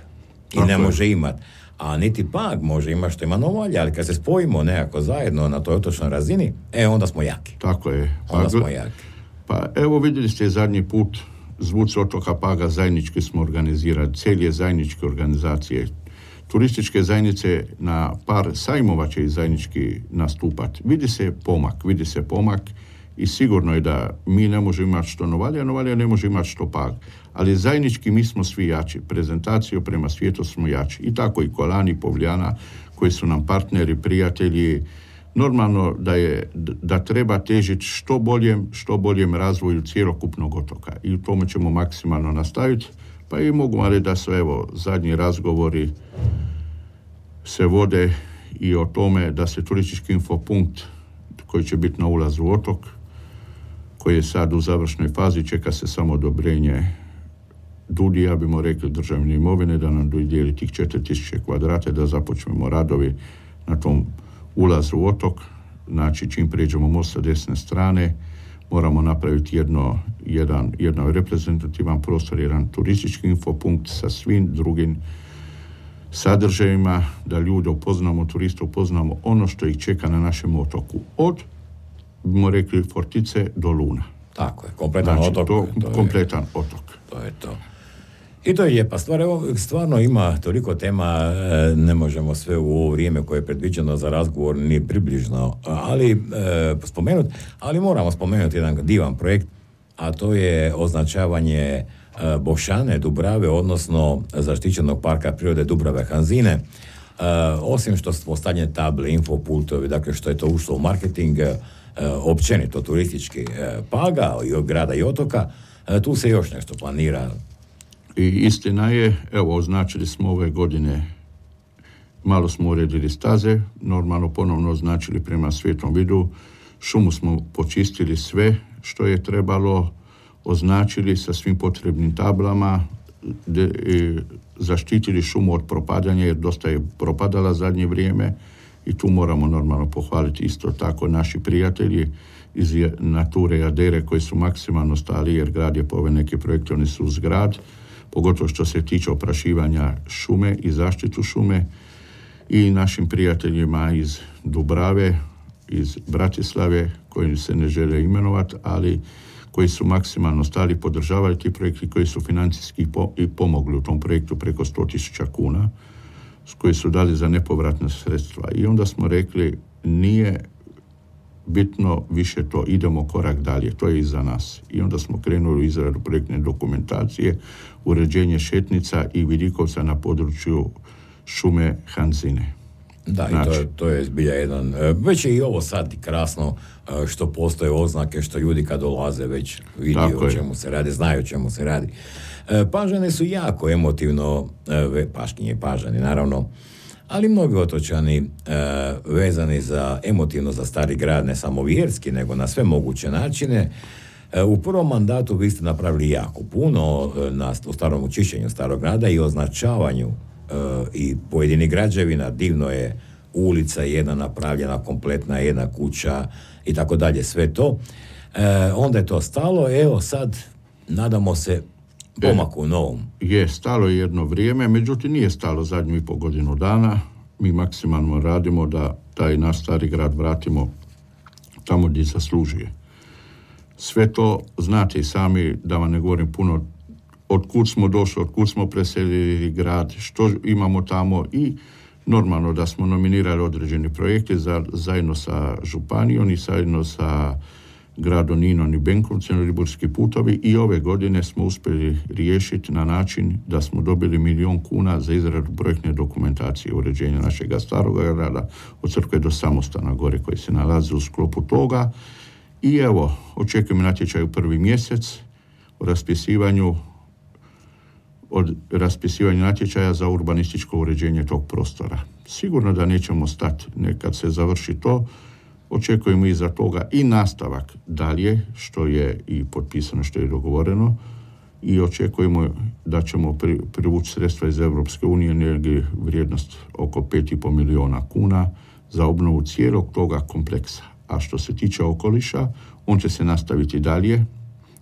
Speaker 1: I tako ne je. Može imati. A niti Pag može imati što ima Novalja, ali kad se spojimo nekako zajedno na toj otočnoj razini, e, onda smo jaki.
Speaker 2: Tako je.
Speaker 1: Onda
Speaker 2: pa,
Speaker 1: smo jaki.
Speaker 2: Pa evo vidjeli ste zadnji put Zvuci otoka Paga zajednički smo organizirali, cijeli zajedničke organizacije. Turističke zajednice na par sajmova će i zajednički nastupati. Vidi se pomak, vidi se pomak i sigurno je da mi ne možemo imati što Novalja, Novalja ne može imati što Pag. Ali zajednički mi smo svi jači. Prezentaciju prema svijetu smo jači. I tako i Kolan i Povljana koji su nam partneri, prijatelji, Normalno da, je, da treba težiti što boljem, što boljem razvoju cjelokupnog otoka i u tome ćemo maksimalno nastaviti. Pa i mogu vam reći da su evo zadnji razgovori se vode i o tome da se turistički infopunkt koji će biti na ulazu u otok, koji je sad u završnoj fazi, čeka se samo odobrenje DUDI-ja, bimo rekli državne imovine, da nam dodijeli tih četiri tisuće kvadrata, da započnemo radovi na tom ulazu u otok. Znači, čim prijeđemo most sa desne strane, moramo napraviti jedno, jedan, jedan reprezentativan prostor, jedan turistički infopunkt sa svim drugim sadržajima, da ljude upoznamo, turiste upoznamo ono što ih čeka na našem otoku. Od, bimo rekli, Fortice do Luna.
Speaker 1: Tako je, kompletan
Speaker 2: znači,
Speaker 1: otok.
Speaker 2: To,
Speaker 1: to
Speaker 2: kompletan
Speaker 1: je,
Speaker 2: otok.
Speaker 1: To je to. I to je lijepa stvar. Evo, stvarno ima toliko tema, ne možemo sve u ovo vrijeme koje je predviđeno za razgovor ni približno, ali e, spomenuti, ali moramo spomenuti jedan divan projekt, a to je označavanje e, Bošane, Dubrave, odnosno zaštićenog parka prirode Dubrave Hanzine. E, osim što su postavljene table, infopultovi, dakle što je to ušlo u marketing, e, općenito turistički e, Paga i od grada i otoka, e, tu se još nešto planira.
Speaker 2: I istina je, evo, označili smo ove godine, malo smo uredili staze, normalno ponovno označili prema Svetom Vidu, šumu smo počistili sve što je trebalo, označili sa svim potrebnim tablama, de, e, zaštitili šumu od propadanja, jer dosta je propadala zadnje vrijeme i tu moramo normalno pohvaliti isto tako naši prijatelji iz Nature i Adere koji su maksimalno stali, jer grad je po ove neke projekte, oni su uz grad, pogotovo što se tiče oprašivanja šume i zaštitu šume, i našim prijateljima iz Dubrave, iz Bratislave, koji se ne žele imenovati, ali koji su maksimalno stali, podržavali ti projekti, koji su financijski po, i pomogli u tom projektu preko sto tisuća kuna, koji su dali za nepovratna sredstva. I onda smo rekli, nije bitno više to, idemo korak dalje, to je iza nas. I onda smo krenuli u izradu projektne dokumentacije, uređenje šetnica i vidikovca na području šume Hanzine.
Speaker 1: Da, znači, i to je, to je zbilja jedan, već je i ovo sad krasno što postoje oznake, što ljudi kad dolaze već vidi o čemu se radi, znaju o čemu se radi. Pažane su jako emotivno, Paškinje Pažani naravno, ali mnogi otočani e, vezani za emotivno za stari grad, ne samo vjerski, nego na sve moguće načine. E, u prvom mandatu vi ste napravili jako puno e, na u starom očišćenju starog grada i označavanju e, i pojedinih građevina. Divno je ulica jedna napravljena, kompletna jedna kuća i tako dalje, sve to. E, onda je to stalo, evo sad nadamo se pomaku u novom.
Speaker 2: Je, stalo je jedno vrijeme, međutim nije stalo zadnju i po godinu dana. Mi maksimalno radimo da taj naš stari grad vratimo tamo gdje zaslužuje. Sve to znate i sami, da vam ne govorim puno, od kud smo došli, od kud smo preselili grad, što imamo tamo, i normalno da smo nominirali određeni projekte za, zajedno sa županijom i zajedno sa gradom Ninom i Benkovcem, ribarski putovi, i ove godine smo uspjeli riješiti na način da smo dobili milijon kuna za izradu projektne dokumentacije uređenja našeg starog grada od crkve do Samostana gore koji se nalazi u sklopu toga. I evo, očekujemo natječaj u prvi mjesec o raspisivanju od raspisivanja natječaja za urbanističko uređenje tog prostora. Sigurno da nećemo stati, nekad se završi to, očekujemo iza toga i nastavak dalje, što je i potpisano, što je dogovoreno, i očekujemo da ćemo pri, privući sredstva iz Europske unije, negdje vrijednost oko pet i pol milijuna kuna za obnovu cijelog toga kompleksa. A što se tiče okoliša, on će se nastaviti dalje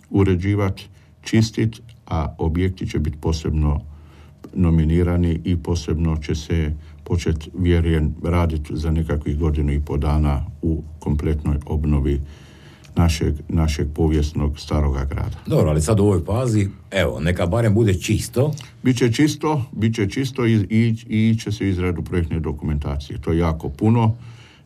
Speaker 2: uređivati, čistiti, a objekti će biti posebno nominirani i posebno će se početi, vjerujem, raditi za nekakvih godinu i po dana u kompletnoj obnovi našeg, našeg povijesnog staroga grada.
Speaker 1: Dobro, ali sad u ovoj fazi, evo, neka barem bude čisto.
Speaker 2: Biće čisto, biće čisto i, i, i će se izradu projektne dokumentacije. To je jako puno.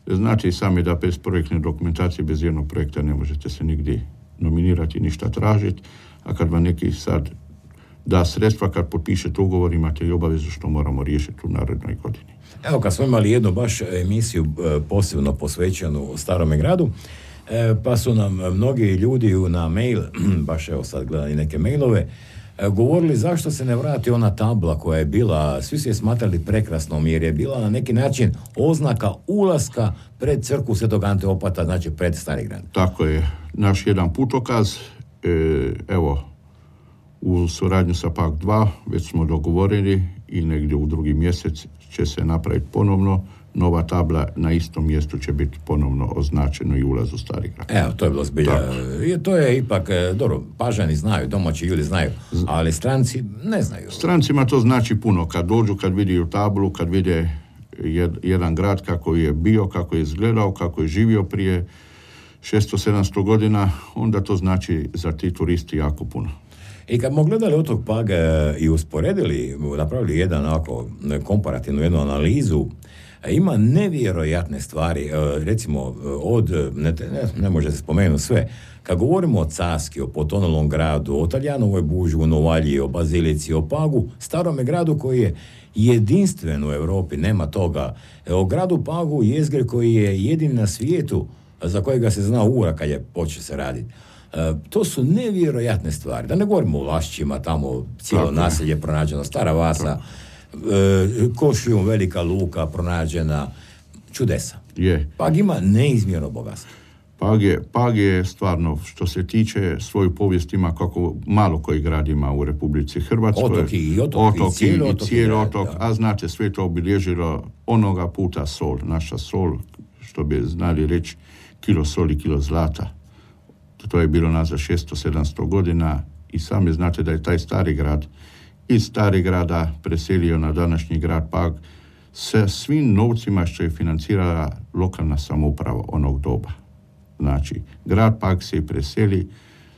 Speaker 2: Znate i sami da bez projektne dokumentacije, bez jednog projekta ne možete se nigdje nominirati, ništa tražiti, a kad vam neki sad da sredstva kad potpišete ugovor imate i obavezu što moramo riješiti u narednoj godini.
Speaker 1: Evo, kad smo imali jednu baš emisiju posebno posvećenu Starome gradu, pa su nam mnogi ljudi na mail, baš evo sad gledam i neke mailove, govorili zašto se ne vrati ona tabla koja je bila, svi su je smatrali prekrasnom jer je bila na neki način oznaka ulaska pred crkvu Svetog Ante Opata, znači pred Stari grad.
Speaker 2: Tako je, naš jedan putokaz, e, evo, u suradnju sa P A K dva već smo dogovorili i negdje u drugi mjesec će se napraviti ponovno nova tabla, na istom mjestu će biti ponovno označeno i ulaz u Stari grad.
Speaker 1: Evo, to je bilo zbilja. To je ipak, dobro, Pažani znaju, domaći ljudi znaju, ali stranci ne znaju.
Speaker 2: Strancima to znači puno. Kad dođu, kad vidi tablu, kad vide jed, jedan grad kako je bio, kako je izgledao, kako je živio prije šesto sedamsto godina, onda to znači za ti turisti jako puno.
Speaker 1: I kad smo gledali otok Pag i usporedili, napravili jedan ovako komparativnu jednu analizu, ima nevjerojatne stvari, recimo od, ne, ne, ne može se spomenuti sve, kad govorimo o Caski, o potonulom gradu, o Talijanovoj buži, o Novalji, o Bazilici, o Pagu, starome gradu koji je jedinstven u Europi, nema toga, o gradu Pagu, jezgri koji je jedin na svijetu, za kojega se zna ura kad je počeo se raditi. E, to su nevjerojatne stvari. Da ne govorimo o Lašćima, tamo cijelo tako naselje pronađeno, Stara Vasa, e, Košijum, velika luka pronađena, čudesa.
Speaker 2: Je.
Speaker 1: Pag ima neizmjerno bogatstvo.
Speaker 2: Pag je, Pag je stvarno, što se tiče svoju povijest ima kako malo koji grad ima u Republici Hrvatskoj.
Speaker 1: Otok i otok,
Speaker 2: otok i cijeli otok, cijeli otok
Speaker 1: grad,
Speaker 2: a znate, sve to obilježilo onoga puta sol. Naša sol, što bi znali reći, kilo soli, kilo zlata. To je bilo nazad šesto sedamsto godina i sami znate da je taj stari grad iz stari grada preselio na današnji grad Pag sa svim novcima što je financirala lokalna samouprava onog doba. Znači, grad Pag se preseli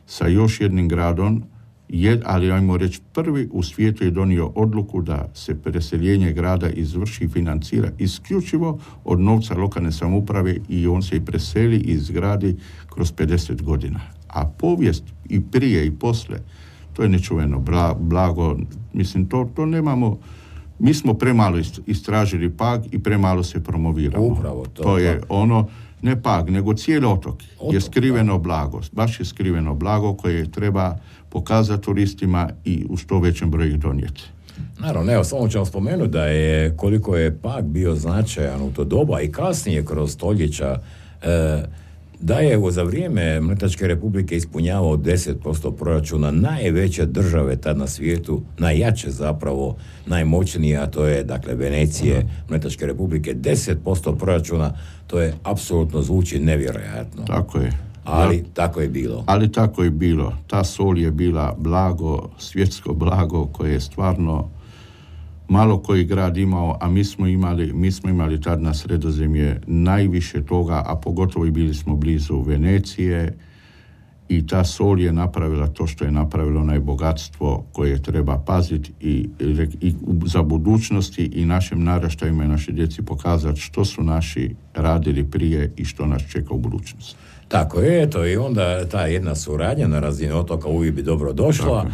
Speaker 2: sa još jednim gradom, jed, ali ajmo reći prvi u svijetu je donio odluku da se preseljenje grada izvrši i financira isključivo od novca lokalne samouprave i on se i preseli i izgradi kroz pedeset godina. A povijest i prije i poslije, to je nečuveno bla, blago, mislim, to, to nemamo, mi smo premalo istražili Pag i premalo se promoviramo.
Speaker 1: Upravo to.
Speaker 2: To je ono, ne Pag, nego cijeli otok, otok je skriveno da. blago, baš je skriveno blago koje treba pokazati turistima i u što većem broju ih donijeti.
Speaker 1: Naravno, evo, samo ćemo spomenuti da je koliko je Pag bio značajan u to doba i kasnije kroz stoljeća, e, da je za vrijeme Mletačke republike ispunjavao deset posto proračuna najveće države tad na svijetu, najjače zapravo, najmoćnije, a to je dakle Venecije, Mletačke republike, deset posto proračuna, to je apsolutno zvuči nevjerojatno.
Speaker 2: Tako je.
Speaker 1: Ali
Speaker 2: da.
Speaker 1: tako je bilo.
Speaker 2: Ali tako je bilo. Ta sol je bila blago, svjetsko blago koje je stvarno malo koji grad imao, a mi smo imali, mi smo imali tad na Sredozemlje najviše toga, a pogotovo i bili smo blizu Venecije i ta sol je napravila to što je napravilo onaj bogatstvo koje treba paziti i, i za budućnosti i našim naraštajima i našoj djeci pokazati što su naši radili prije i što nas čeka u budućnosti.
Speaker 1: Tako je, eto, i onda ta jedna suradnja na razini otoka uvijek bi dobro došla.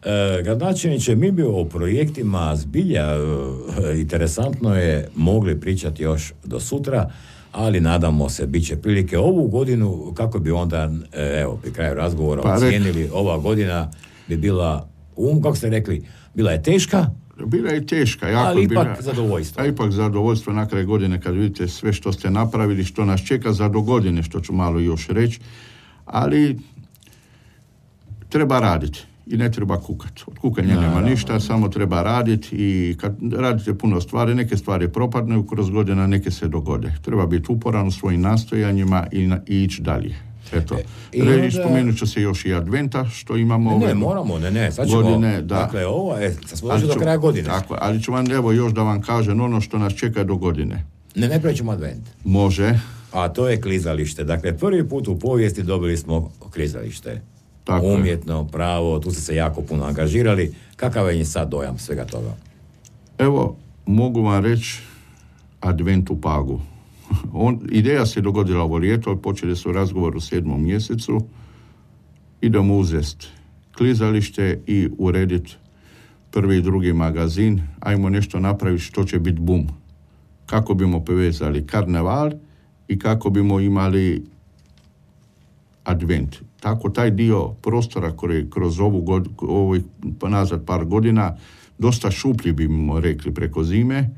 Speaker 1: E, gradonačelniče, mi bi o projektima zbilja e, interesantno je mogli pričati još do sutra, ali nadamo se bit će prilike ovu godinu, kako bi onda, e, evo, pri kraju razgovora pa ocijenili, ova godina bi bila, um, kako ste rekli, bila je teška,
Speaker 2: Bila je teška, jako
Speaker 1: ali ipak
Speaker 2: bila,
Speaker 1: zadovoljstvo.
Speaker 2: A ipak zadovoljstvo na kraju godine kad vidite sve što ste napravili, što nas čeka za do godine, što ću malo još reći, ali treba raditi i ne treba kukati. Od kukanja nema ništa, samo treba raditi i kad radite puno stvari, neke stvari propadnu kroz godina, neke se dogode. Treba biti uporan u svojim nastojanjima i, na, i ići dalje. Eto, e, onda... spomenut ću se još i adventa, što imamo
Speaker 1: ne,
Speaker 2: ove
Speaker 1: ne, moramo, ne, ne, sad ćemo,
Speaker 2: godine, da.
Speaker 1: Dakle, ovo je, sad smo došli do kraja godine.
Speaker 2: Tako, ali ću vam, evo, još da vam kažem ono što nas čeka do godine.
Speaker 1: Ne, ne prećemo advent.
Speaker 2: Može.
Speaker 1: A to je klizalište. Dakle, prvi put u povijesti dobili smo klizalište.
Speaker 2: Tako
Speaker 1: umjetno,
Speaker 2: je.
Speaker 1: pravo, tu ste se jako puno angažirali. Kakav je sad dojam svega toga?
Speaker 2: Evo, mogu vam reći advent u Pagu. On, ideja se dogodila ovo ljeto, počeli su razgovor u sedmom mjesecu, idemo uzest klizalište i urediti prvi i drugi magazin, ajmo nešto napraviti što će biti bum. Kako bimo povezali karneval i kako bimo imali advent. Tako taj dio prostora koji kroz ovu god, ovih nazad par godina dosta šuplji bimo rekli preko zime,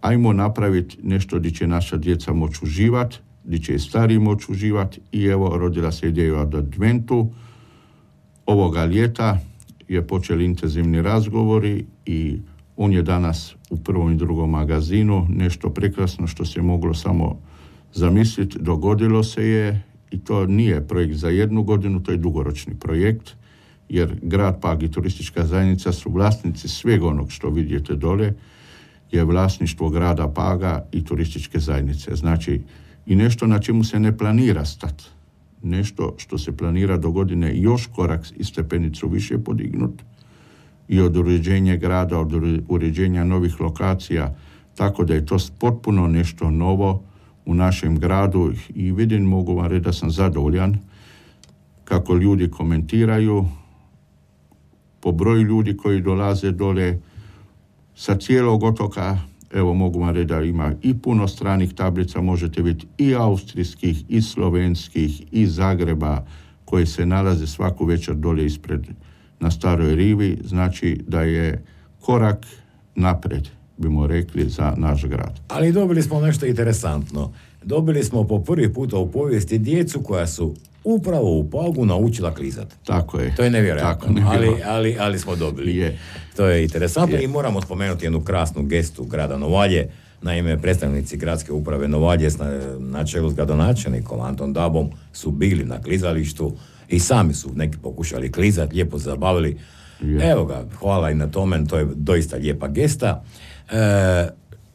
Speaker 2: ajmo napraviti nešto gdje će naša djeca moći uživati, gdje će i stariji moći uživati i evo rodila se ideja od adventu. Ovoga ljeta je počeli intenzivni razgovori i on je danas u prvom i drugom magazinu, nešto prekrasno što se moglo samo zamisliti, dogodilo se je i to nije projekt za jednu godinu, to je dugoročni projekt, jer grad Pag i turistička zajednica su vlasnici svega onog što vidite dole, je vlasništvo grada Paga i turističke zajednice. Znači, i nešto na čemu se ne planira stati. Nešto što se planira do godine još korak i stepenicu više podignuti i od uređenja grada, od uređenja novih lokacija, tako da je to potpuno nešto novo u našem gradu i vidim, mogu vam reći da sam zadovoljan kako ljudi komentiraju, po broju ljudi koji dolaze dole sa cijelog otoka. Evo, mogu vam reći da ima i puno stranih tablica, možete vidjeti i austrijskih, i slovenskih, i Zagreba, koje se nalaze svaku večer dolje ispred na Staroj rivi, znači da je korak napred, bimo rekli, za naš grad.
Speaker 1: Ali dobili smo nešto interesantno. Dobili smo po prvi puta u povijesti djecu koja su upravo u Pagu naučila klizati.
Speaker 2: Tako je.
Speaker 1: To je nevjerojatno,
Speaker 2: Tako,
Speaker 1: ali, ali, ali smo dobili.
Speaker 2: Je.
Speaker 1: To je interesantno
Speaker 2: je.
Speaker 1: I moramo spomenuti jednu krasnu gestu grada Novalje. Naime, predstavnici gradske uprave Novalje na čelu s gradonačelnikom Anton Dabom su bili na klizalištu i sami su neki pokušali klizati, lijepo zabavili. Je. Evo ga, hvala i na tome, to je doista lijepa gesta. E,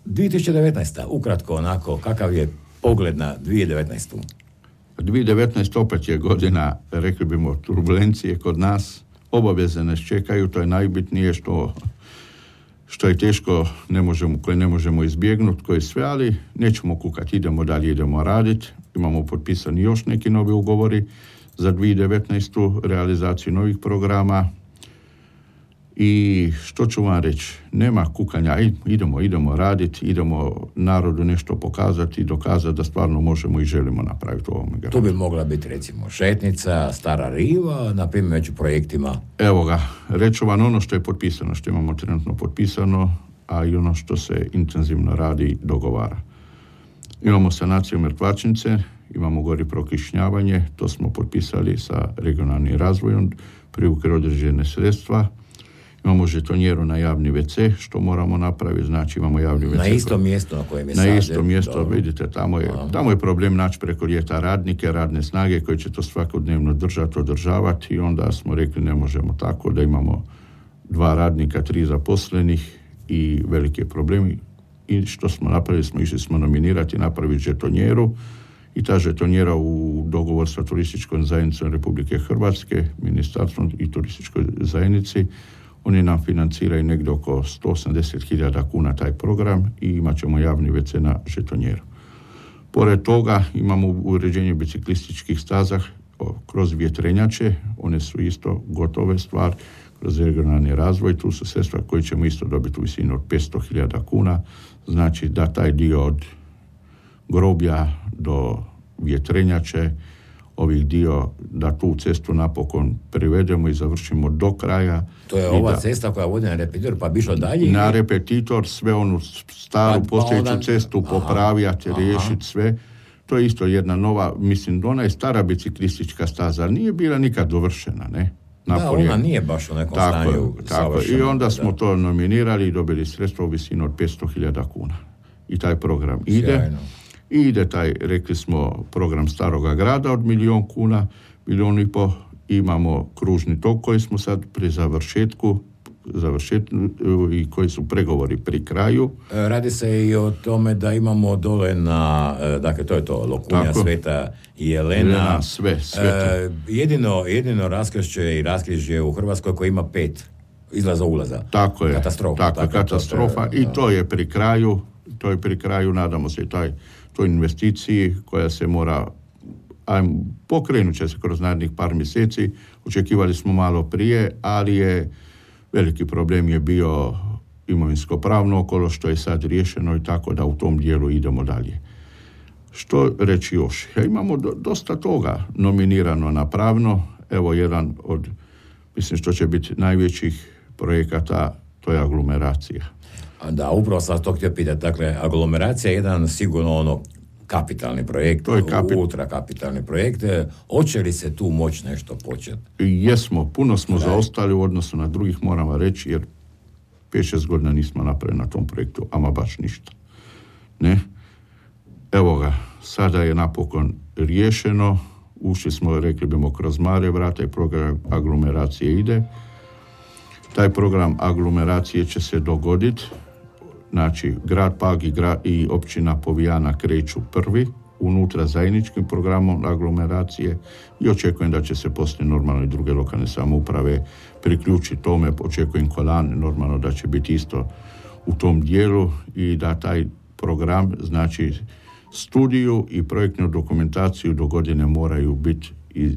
Speaker 1: dvije tisuće devetnaesta. ukratko onako, kakav je pogled na dvije tisuće devetnaestu.
Speaker 2: dvije tisuće devetnaesta. opet je godina, rekli bimo, turbulencije kod nas, obaveze nas čekaju, to je najbitnije što, što je teško, ne možemo, koje ne možemo izbjegnuti, koje sve, ali nećemo kukati, idemo dalje, idemo raditi, imamo potpisani još neki novi ugovori za dvije tisuće devetnaestu. realizaciju novih programa i što ću vam reći, nema kukanja, idemo, idemo raditi, idemo narodu nešto pokazati i dokazati da stvarno možemo i želimo napraviti u ovom gradu.
Speaker 1: Tu bi mogla biti recimo šetnica, Stara riva, na primjer među projektima.
Speaker 2: Evo ga, reću vam ono što je potpisano, što imamo trenutno potpisano, a i ono što se intenzivno radi i dogovara. Imamo sanaciju mrtvačnice, imamo gori prokišnjavanje, to smo potpisali sa regionalnim razvojom, privukli određene sredstva. Imamo žetonjeru na javni ve ce, što moramo napraviti, znači imamo javni ve ce.
Speaker 1: Na istom mjestu na kojem je sad.
Speaker 2: Na istom mjestu, dobro. Vidite, tamo je, tamo je problem naći preko ljeta radnike, radne snage koji će to svakodnevno držati, održavati i onda smo rekli ne možemo tako da imamo dva radnika, tri zaposlenih i velike problemi. I što smo napravili, smo išli smo nominirati, napraviti žetonjeru i ta žetonjera u dogovor sa turističkom zajednicom Republike Hrvatske, ministarstvom i turističkoj zajednici, oni nam financiraju negdje oko sto osamdeset hiljada kuna taj program i imat ćemo javni ve ce na žetonjeru. Pored toga imamo uređenje biciklističkih staza kroz vjetrenjače, one su isto gotove stvar, kroz regionalni razvoj, tu su sredstva koje ćemo isto dobiti u visini od petsto hiljada kuna, znači da taj dio od groblja do vjetrenjače, ovih dio, da tu cestu napokon privedemo i završimo do kraja.
Speaker 1: To je ova da, cesta koja vodi na repetitor, pa bi išlo dalje?
Speaker 2: Na repetitor, sve onu staru pa, postojeću pa onda, cestu popravljati, riješiti sve. To je isto jedna nova, mislim, ona je stara biciklistička staza, ali nije bila nikad dovršena, ne?
Speaker 1: Napolje. Da, ona nije baš u nekom tako, stanju
Speaker 2: tako. I onda smo da. to nominirali i dobili sredstvo u visinu od petsto hiljada kuna. I taj program ide. Sjajno. I ide taj, rekli smo, program Staroga grada od milijon kuna, milijon i po. Imamo kružni tok koji smo sad pri završetku, završetku i koji su pregovori pri kraju.
Speaker 1: Radi se i o tome da imamo dole na, dakle to je to, Lokunja, tako, Sveta i Jelena.
Speaker 2: Jelena, sve, sve.
Speaker 1: Uh, jedino, jedino raskršće i raskrižje u Hrvatskoj koji ima pet izlaza ulaza.
Speaker 2: Tako je.
Speaker 1: Katastrofa.
Speaker 2: Tako, tako katastrofa to, i to je pri kraju, to je pri kraju, nadamo se i taj toj investiciji koja se mora, ajmo, pokrenut će se kroz narednih par mjeseci, očekivali smo malo prije, ali je Veliki problem je bio imovinsko-pravno okolo, što je sad riješeno i tako da u tom dijelu idemo dalje. Što reći još? Ja, imamo do, dosta toga nominirano na pravno. Evo jedan od, mislim što će biti najvećih projekata, to je aglomeracija.
Speaker 1: Da, upravo sam to htio pitati. Dakle, aglomeracija je jedan sigurno ono kapitalni projekt, to je kapi... ultra kapitalni projekt. Hoće li se tu moći nešto početi?
Speaker 2: Jesmo, puno smo Daj. zaostali u odnosu na drugih, moramo reći, jer pet šest godina nismo napravili na tom projektu, ama baš ništa. Ne? Evo ga, sada je napokon riješeno, ušli smo, rekli bimo, kroz mare vrata i program aglomeracije ide. Taj program aglomeracije će se dogoditi, znači grad Pag i, grad, i općina Povijana kreću prvi unutra zajedničkim programom aglomeracije i očekujem da će se poslije normalno i druge lokalne samouprave priključiti tome, očekujem Kolan normalno da će biti isto u tom dijelu i da taj program, znači studiju i projektnu dokumentaciju do godine moraju biti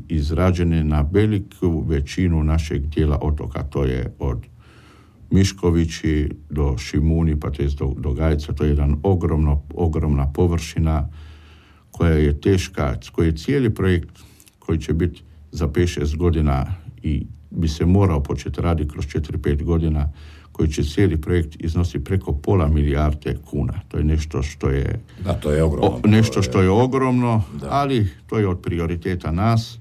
Speaker 2: izrađene na veliku većinu našeg dijela otoka, to je od Miškovići do Šimuni, pa to je do, do Gajca, to je jedan ogromno, ogromna površina koja je teška, koji je cijeli projekt koji će biti za pet šest godina i bi se morao početi raditi kroz četiri pet godina, koji će cijeli projekt iznosi preko pola milijarde kuna. To je nešto što je,
Speaker 1: da, to je ogromno.
Speaker 2: O, nešto što je ogromno, da. Ali to je od prioriteta nas,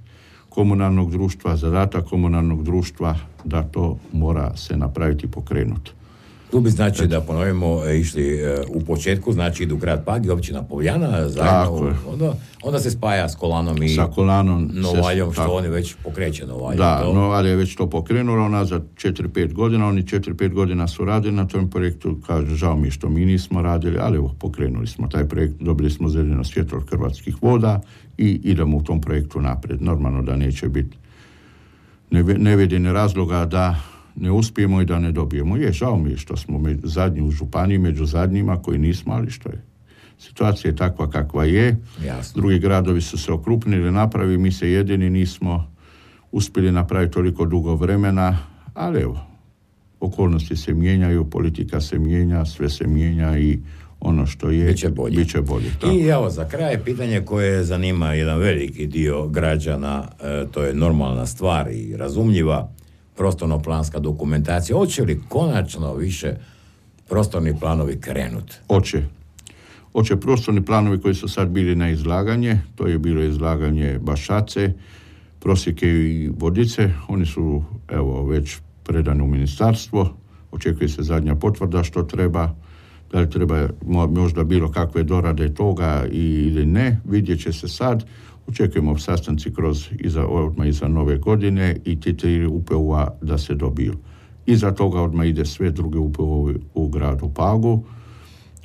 Speaker 2: komunalnog društva, zadatak komunalnog društva da to mora se napraviti i pokrenuti.
Speaker 1: Tu bi znači da ponovimo išli u početku, znači idu grad Pag i općina Povijana, zajedno, onda, onda se spaja s Kolanom i
Speaker 2: sa Kolanom
Speaker 1: Novaljom,
Speaker 2: se,
Speaker 1: što oni već pokreće Novalje.
Speaker 2: Da, to. Novalje je već to pokrenulo, ona za četiri pet godina, oni četiri pet godina su radili na tom projektu, kaže, žao mi što mi nismo radili, ali evo, pokrenuli smo taj projekt, dobili smo zeleno svjetlo od Hrvatskih voda i idemo u tom projektu naprijed. Normalno da neće biti, ne, ne vidim razloga da ne uspijemo i da ne dobijemo. Je, žao mi je što smo među, zadnji u županiji, među zadnjima koji nismo, ali što je. Situacija je takva kakva je.
Speaker 1: Jasno.
Speaker 2: Drugi gradovi su se okrupnili, napravili, mi se jedini nismo uspjeli napraviti toliko dugo vremena, ali evo, okolnosti se mijenjaju, politika se mijenja, sve se mijenja i ono što je,
Speaker 1: biće bolje.
Speaker 2: Biće bolje
Speaker 1: I evo, za kraj pitanje koje zanima jedan veliki dio građana, e, to je normalna stvar i razumljiva, prostorno-planska dokumentacija. Hoće li konačno više prostorni planovi krenuti?
Speaker 2: Hoće. Hoće prostorni planovi koji su sad bili na izlaganje, to je bilo izlaganje Bašace, Prosjeke i Vodice, oni su evo već predani u ministarstvo, očekuje se zadnja potvrda što treba, da li treba možda bilo kakve dorade toga ili ne, vidjet će se sad. Očekujemo sastanci kroz iza, odmah iza nove godine i ti tri U P U-a da se dobiju. Iza toga odmah ide sve druge U P U-ovi u gradu Pagu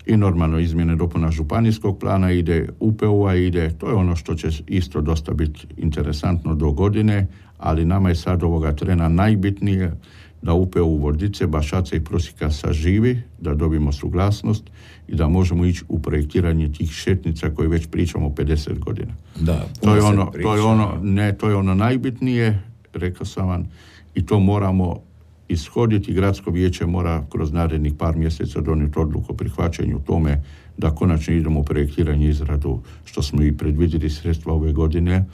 Speaker 2: i normalno izmjene dopuna županijskog plana ide, U P U-a ide, to je ono što će isto dosta biti interesantno do godine, ali nama je sad ovoga trena najbitnije da U P U Vodice, Bašace i Prosjeka saživi, da dobijemo suglasnost i da možemo ići u projektiranje tih šetnica koje već pričamo pedeset godina.
Speaker 1: Da,
Speaker 2: to je ono, to je ono, ne, to je ono najbitnije, rekao sam vam, i to moramo ishoditi. Gradsko vijeće mora kroz narednih par mjeseca donijeti odluku o prihvaćanju tome da konačno idemo u projektiranje i izradu, što smo i predvidjeli sredstva ove godine,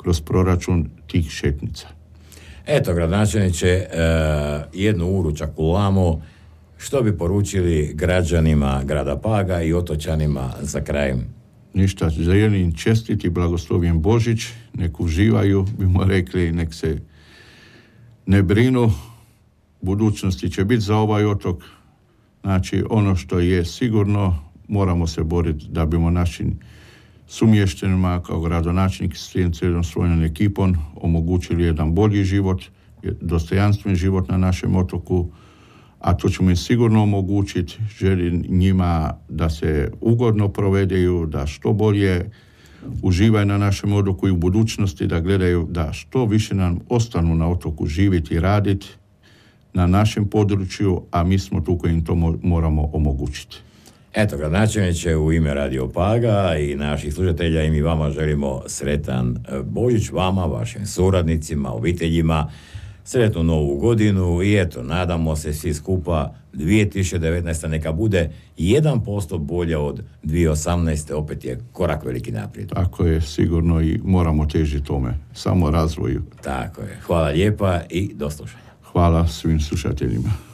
Speaker 2: kroz proračun tih šetnica.
Speaker 1: Eto, gradonačelniče, e, jednu uručak u lamo, što bi poručili građanima grada Paga i otočanima za kraj?
Speaker 2: Ništa, želim čestiti blagoslovljen Božić, nek uživaju, bimo rekli, nek se ne brinu, budućnosti će biti za ovaj otok. Znači, ono što je sigurno, moramo se boriti da bimo našim sumještenima kao gradonačelnik s cijelom svojom ekipom omogućili jedan bolji život, dostojanstven život na našem otoku, a to ćemo im sigurno omogućiti. Želim njima da se ugodno provedeju, da što bolje uživaju na našem otoku i u budućnosti da gledaju da što više nam ostanu na otoku živjeti i raditi na našem području, a mi smo tu koji im to moramo omogućiti.
Speaker 1: Eto, gradonačelniče, u ime Radio Paga i naših slušatelja i mi vama želimo sretan Božić, vama, vašim suradnicima, obiteljima. Sretnu novu godinu i eto, nadamo se svi skupa dvije tisuće devetnaesta neka bude jedan posto bolja od dvije tisuće osamnaeste. Opet je korak veliki naprijed.
Speaker 2: Tako je, sigurno, i moramo težiti tome, samo razvoju.
Speaker 1: Tako je. Hvala lijepa i do slušanja.
Speaker 2: Hvala svim slušateljima.